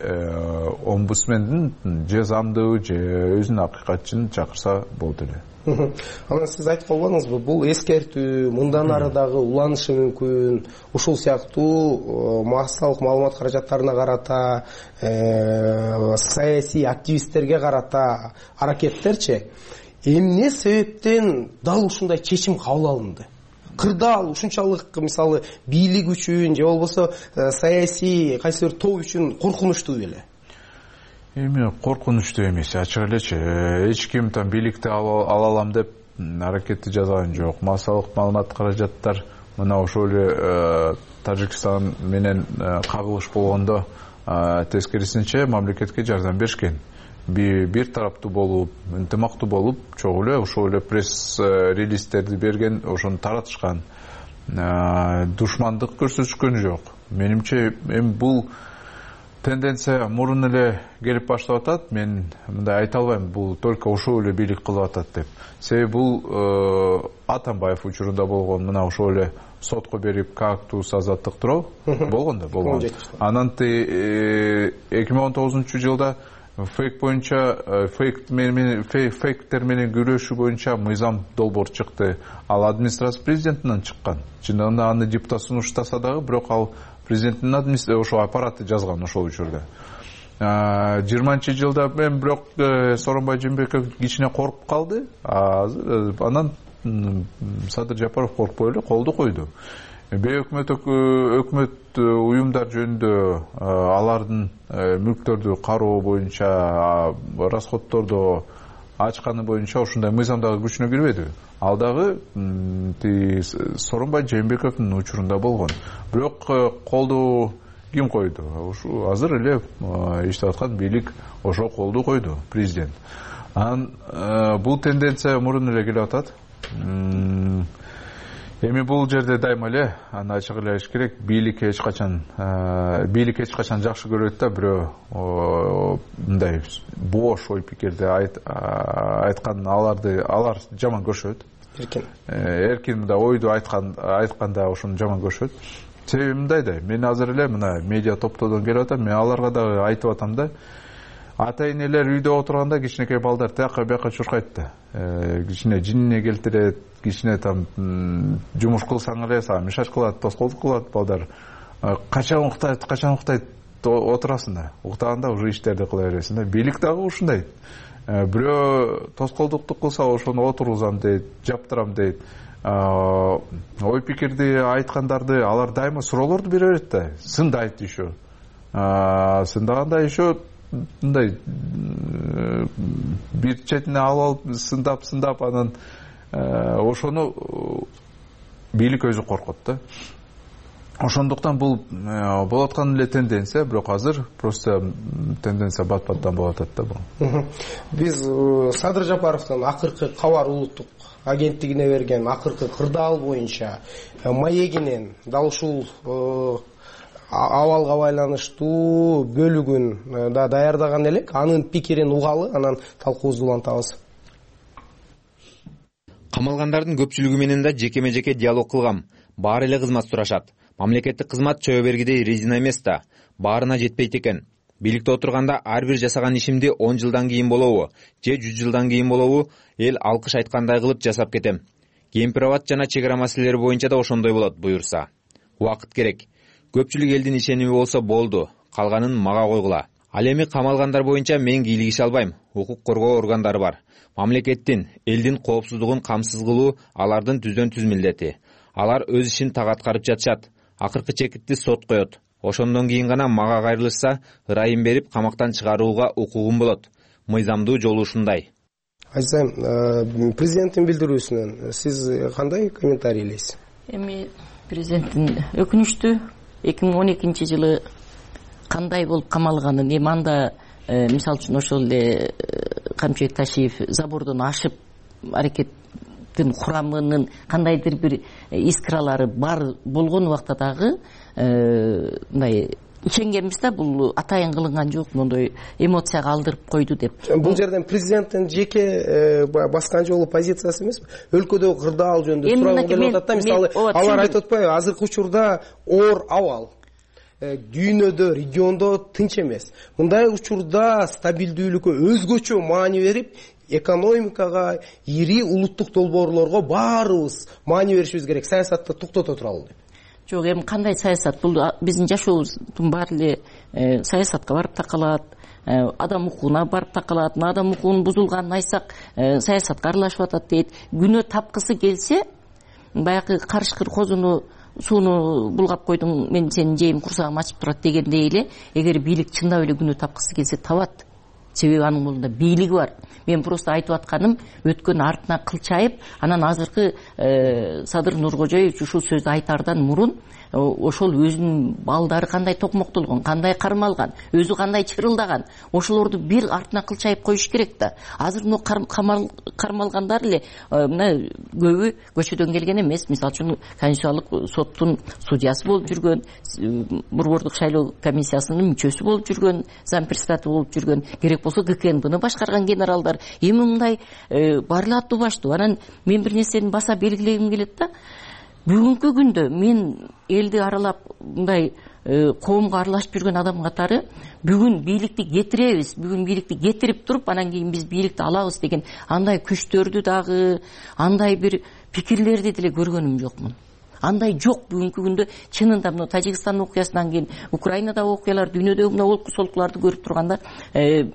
омбудсмендин же замдуу же өзүнүн акыйкатчын чакырса болот эле. Анан сиз айтып калбадыңызбы, бул эскертүү, мындан ары дагы уланышы мүмкүн, ушул сыяктуу массалык маалымат каражаттарына карата, саясий активисттерге карата аракеттерчи эмне себептен дал ушундай чечим кабыл алынды? Кырдаал ушунчалык, мисалы, бийлик үчүн же болбосо саясий кайсы бир топ үчүн коркунучтуу беле? Эми коркунучтуу эмес, ачык элечи. Эч ким там бийликти ала алам деп аракетти жасаган жок. Массалык маалымат каражаттар мына ошол эле Тажикстан менен кагылыш болгондо тескерисинче мамлекетке жардам беришкен. Бир тараптуу болуп, ынтымактуу болуп, чогуу эле ошол эле пресс-релизтерди берген, ошону таратышкан. Душмандык көрсөтүшкөн жок. Менимче эми бул тенденция мурун эле келип баштап атат. Мен мындай айта албайм, бул только ошол эле бийлик кылып атат деп. Себеби бул Атамбаев учурунда болгон, мына ошол эле сотко берип кактус азаттык тууралуу болгондо болгон. Анан 2019-жылда фейк боюнча фейктер менен күрөшүү боюнча мыйзам долбоор чыкты. Ал администрация президентинен чыккан. Чындыгында аны депутат сунуштаса дагы, бирок ал президенттин ошол аппараты жазган ошол учурда. 20-жылда мен бирок Сооронбай Жээнбеков кичине коркуп калды. Анан Садыр Жапаров коркпой эле колду койду. Өкмөт уюмдар жөнүндө алардын мүлктөрдү кароо боюнча, расходторду ачканы боюнча ушундай мыйзам дагы күчүнө кирбеди. Ал дагы Сооронбай Жээнбековдун учурунда болгон. Бирок колду ким койду? Ушу азыр эле иштеп аткан бийлик ошо колду койду, президент. Анан бул тенденция мурун эле келип атат. Эми бул жерде дайыма эле аны ачык эле айтыш керек, бийлик эч качан жакшы көрөт да, бирөө мындай бош ой пикирди айткан алар жаман көрүшөт. Эркин мындай ойду айтканда ошону жаман көрүшөт. Себеби мындай да, мен азыр эле мына медиа топтордон келип атам, мен аларга дагы айтып атам да, ата-энелер үйдө отурганда кичинекей балдар тияка бияка чуркайт да. Кичине жинине келтирет, кичине там жумуш кылсаң эле сага мешать кылат, тоскоолдук кылат балдар. Качан уктайт, отурасың да. Уктаганда уже иштерди кыла бересиң да. Бийлик дагы ушундай. Бирөө тоскоолдукту кылса ошону отургузам дейт, жаптырам дейт. Ой пикирди айткандарды алар дайыма суроолорду бере берет да. Сындайт еще. Сындаганда еще мындай бир четине алып сындап анан ошону бийлик өзү коркот да. Ошондуктан бул болуп аткан эле тенденция, бирок азыр просто тенденция бат-баттан болуп атат да бул. Биз Садыр Жапаровдун акыркы кабар улуттук агенттигине берген акыркы кырдаал боюнча маегинен дал ушул абалга байланыштуу бөлүгүн да даярдаган элек. Анын пикирин угалы, анан талкуубузду улантабыз. Камалгандардын көпчүлүгү менен да жекеме-жеке диалог кылгам. Баары эле кызмат сурашат. Мамлекеттик кызмат чөбө бергидей резина эмес да, баарына жетпейт экен. Бийликте отурганда ар бир жасаган ишимди 10 жылдан кийин болобу, же 100 жылдан кийин болобу, эл алкыш айткандай кылып жасап кетем. Кемпир-абад жана чек ара маселелери боюнча да ошондой болот буюрса. Убакыт керек. Көпчүлүк элдин ишеними болсо болду, калганын мага койгула. Ал эми камалгандар боюнча мен кийлигише албайм. Укук коргоо органдары бар. Мамлекеттин, элдин коопсуздугун камсыз кылуу алардын түздөн түз милдети. Алар өз ишин так аткарып жатышат. Акыркы чекитти сот коет. Ошондон кийин гана мага кайрылышса, ырайым берип камактан чыгарууга укугум болот. Мыйзамдуу жолу ушундай. Айзам, президенттин билдирүүсүнөн сиз кандай комментарийлейсиз? Эми президенттин өкүнүчтүү 2012 жылы кандай болуп камалганын, эми анда мисалы үчүн ошол эле Камчыбек Ташиев забордон ашып аракеттин курамынын кандайдыр бир искралары бар болгон убакта дагы мындай ишенгенбиз да, бул атайын кылынган жок, мондой эмоцияга алдырып койду деп. Бул жерден президенттин жеке баскан жолу позициясы эмеспи? Өлкөдөгү кырдаал жөнүндө сурагым келип атат да, мисалы алар айтып атпайбы, азыркы учурда оор абал дүйнөдө, региондо тынч эмес. Мындай учурда стабилдүүлүккө өзгөчө маани берип, экономикага, ири улуттук долбоорлорго баарыбыз маани беришибиз керек. Саясатты токтото туралы деп. Жок, эми кандай саясат? Бул биздин жашообуздун баары эле саясатка барып такалат, адам укугуна барып такалат. Адам укугунун бузулганын айтсак, саясатка аралашып атат дейт. Күнөө тапкысы келсе, баягы карышкыр козуну сууну булгап койдуң, мен сенин жейим курсагым ачып турат дегендей эле, эгер бийлик чындап эле күнөө тапкысы келсе табат. Себеби анын колунда бийлиги бар. Мен просто айтып атканым, өткөн артына кылчайып, анан азыркы Садыр Нуркожоевич ушул сөздү айтаардан мурун ошол өзүнүн балдары кандай токмоктолгон, кандай кармалган, өзү кандай чырылдаган, ошолорду бир артына кылчайып коюш керек да. Азыр кармалгандар эле мына көбү көчөдөн келген эмес. Мисалы үчүн Конституциялык соттун судьясы болуп жүргөн, борбордук шайлоо комиссиясынын мүчөсү болуп жүргөн, зампредседатель болуп жүргөн, керек болсо ГКНБны башкарган генералдар. Эми мындай баары эле аттуу баштуу. Анан мен бир нерсени баса белгилегим келет да. Бүгүнкү күндө мен элди аралап мындай коомго аралашып жүргөн адам катары бүгүн бийликти кетиребиз, бүгүн бийликти кетирип туруп, анан кийин биз бийликти алабыз деген андай күчтөрдү дагы, андай бир пикирлерди деле көргөнүм жокмун. Андай жок бүгүнкү күндө. Чынында мына Тажикстан окуясынан кийин Украинадагы окуялар, дүйнөдөгү мына олку солкуларды көрүп турганда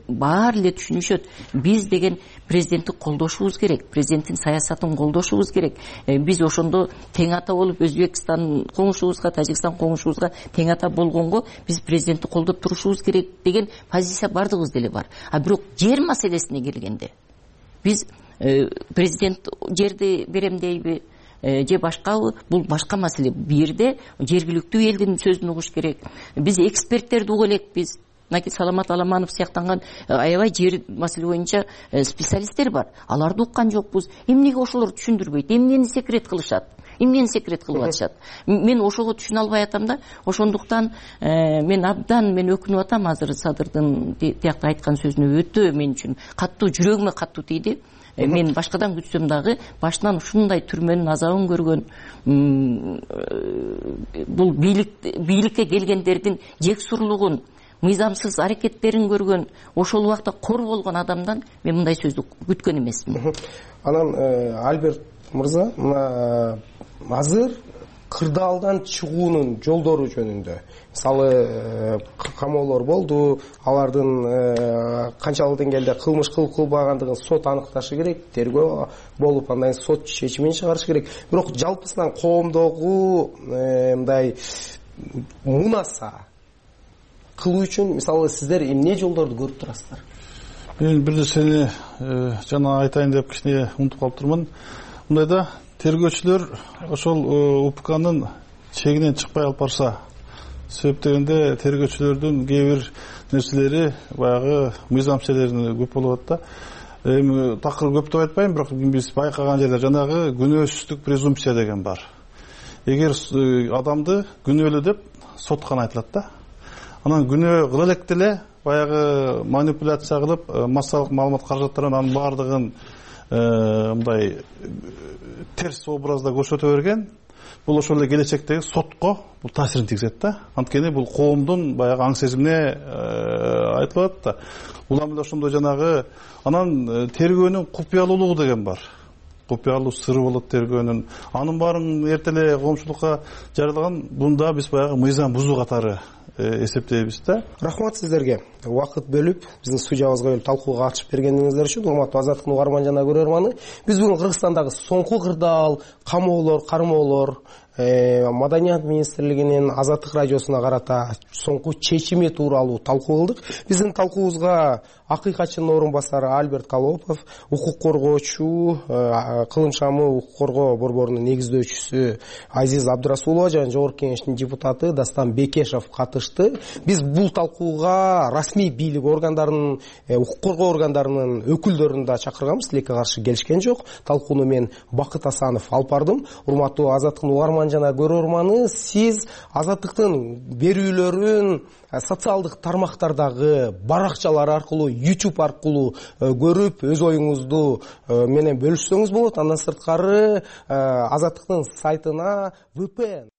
баары эле түшүнүшөт. Биз деген президентти колдошубуз керек, президенттин саясатын колдошубуз керек. Биз ошондо тең ата болуп, Өзбекстан коңшубузга, Тажикстан коңшубузга тең ата болгонго биз президентти колдоп турушубуз керек деген позиция бардыгыбыз деле бар. А бирок жер маселесине келгенде биз президент жерди берем дейби, же башкабы, бул башка маселе. Бу жерде жергиликтүү элдин сөзүн угуш керек. Биз эксперттерди угу элекпиз. Мына Саламат Аламанов сыяктанган аябай жер маселе боюнча специалисттер бар. Аларды уккан жокпуз. Эмнеге ошолор түшүндүрбөйт? Эмнени секрет кылышат? Эмнени секрет кылып атышат? Мен ошого түшүнө албай атам да. Ошондуктан мен өкүнүп атам азыр Садырдын тиякта айткан сөзүнө. Өтө мен үчүн каттуу, жүрөгүмө каттуу тийди. Мен башкадан күтсөм дагы башынан ушундай түрмөнүн азабын көргөн, бул бийликке келгендердин жексурлугун, мыйзамсыз аракеттерин көргөн, ошол убакта кор болгон адамдан мен мындай сөздү күткөн эмесмин. Анан Альберт мырза, мына азыр кырдаалдан чыгуунун жолдору жөнүндө, мисалы камоолор болду, алардын канчалык деңгээлде кылмыш кылып кылбагандыгын сот аныкташы керек, тергөө болуп, андан сот чечимин чыгарышы керек. Бирок жалпысынан коомдогу мындай мунаса кылуу үчүн мисалы сиздер эмне жолдорду көрүп турасыздар? Мен бир нерсени жана айтайын деп кичине унутуп калыптырмын. Мындайда тергөөчүлөр ошол УПКнын чегинен чыкпай алып барса, себеп дегенде тергөөчүлөрдүн кээ бир нерселери баягы мыйзамчелерин көп болуп атат да. Эми такыр көп деп айтпайм, бирок биз байкаган жерде жанагы күнөөсүздүк презумпция деген бар. Эгер адамды күнөөлүү деп сотко айтылат да. Анан күнөө кыла элек деле баягы манипуляция кылып, массалык маалымат каражаттарын анын баардыгын мындай терс образда көрсөтө берген. Бул ошол эле келечектеги сотко бул таасирин тийгизет да. Анткени бул коомдун баягы аң сезимине айтылат да. Улам эле ошондой жанагы анан тергөөнүн купуялуулугу деген бар. купуялуу сыры болот тергөөнүн, анын баарын эрте эле коомчулукка жарыялаган. Бунда биз баягы мыйзам бузуу катары эсептейбиз да. Рахмат сиздерге. Убакыт бөлүп, биздин студиябызга келип талкууга катышып бергениңиздер үчүн. Урматтуу Азаттыктын угарман жана көрөрманы, биз бүгүн Кыргызстандагы соңку кырдаал, камоолор, кармоолор, Маданият министрлигинин Азаттык радиосуна карата соңку чечими тууралуу талкуу кылдык. Биздин талкуубузга акыйкатчынын орун басары Альберт Колопов, укук коргоочу, Кылым шамы укук коргоо борборунун негиздөөчүсү Азиз Абдырасулова жана Жогорку Кеңештин депутаты Дастан Бекешев катышты. Биз бул талкууга расмий бийлик органдарынын, укук коргоо органдарынын өкүлдөрүн да чакырганбыз, тилекке каршы келишкен жок. Талкууну мен Бакыт Асанов алып бардым. Урматтуу Азаттыктын угарман жана көрөрманы, сиз Азаттыктын берүүлөрүн социалдык тармактардагы баракчалар аркылуу, YouTube аркылуу көрүп, өз оюңузду менен бөлүшсөңүз болот. Андан сырткары Азаттыктын сайтына VPN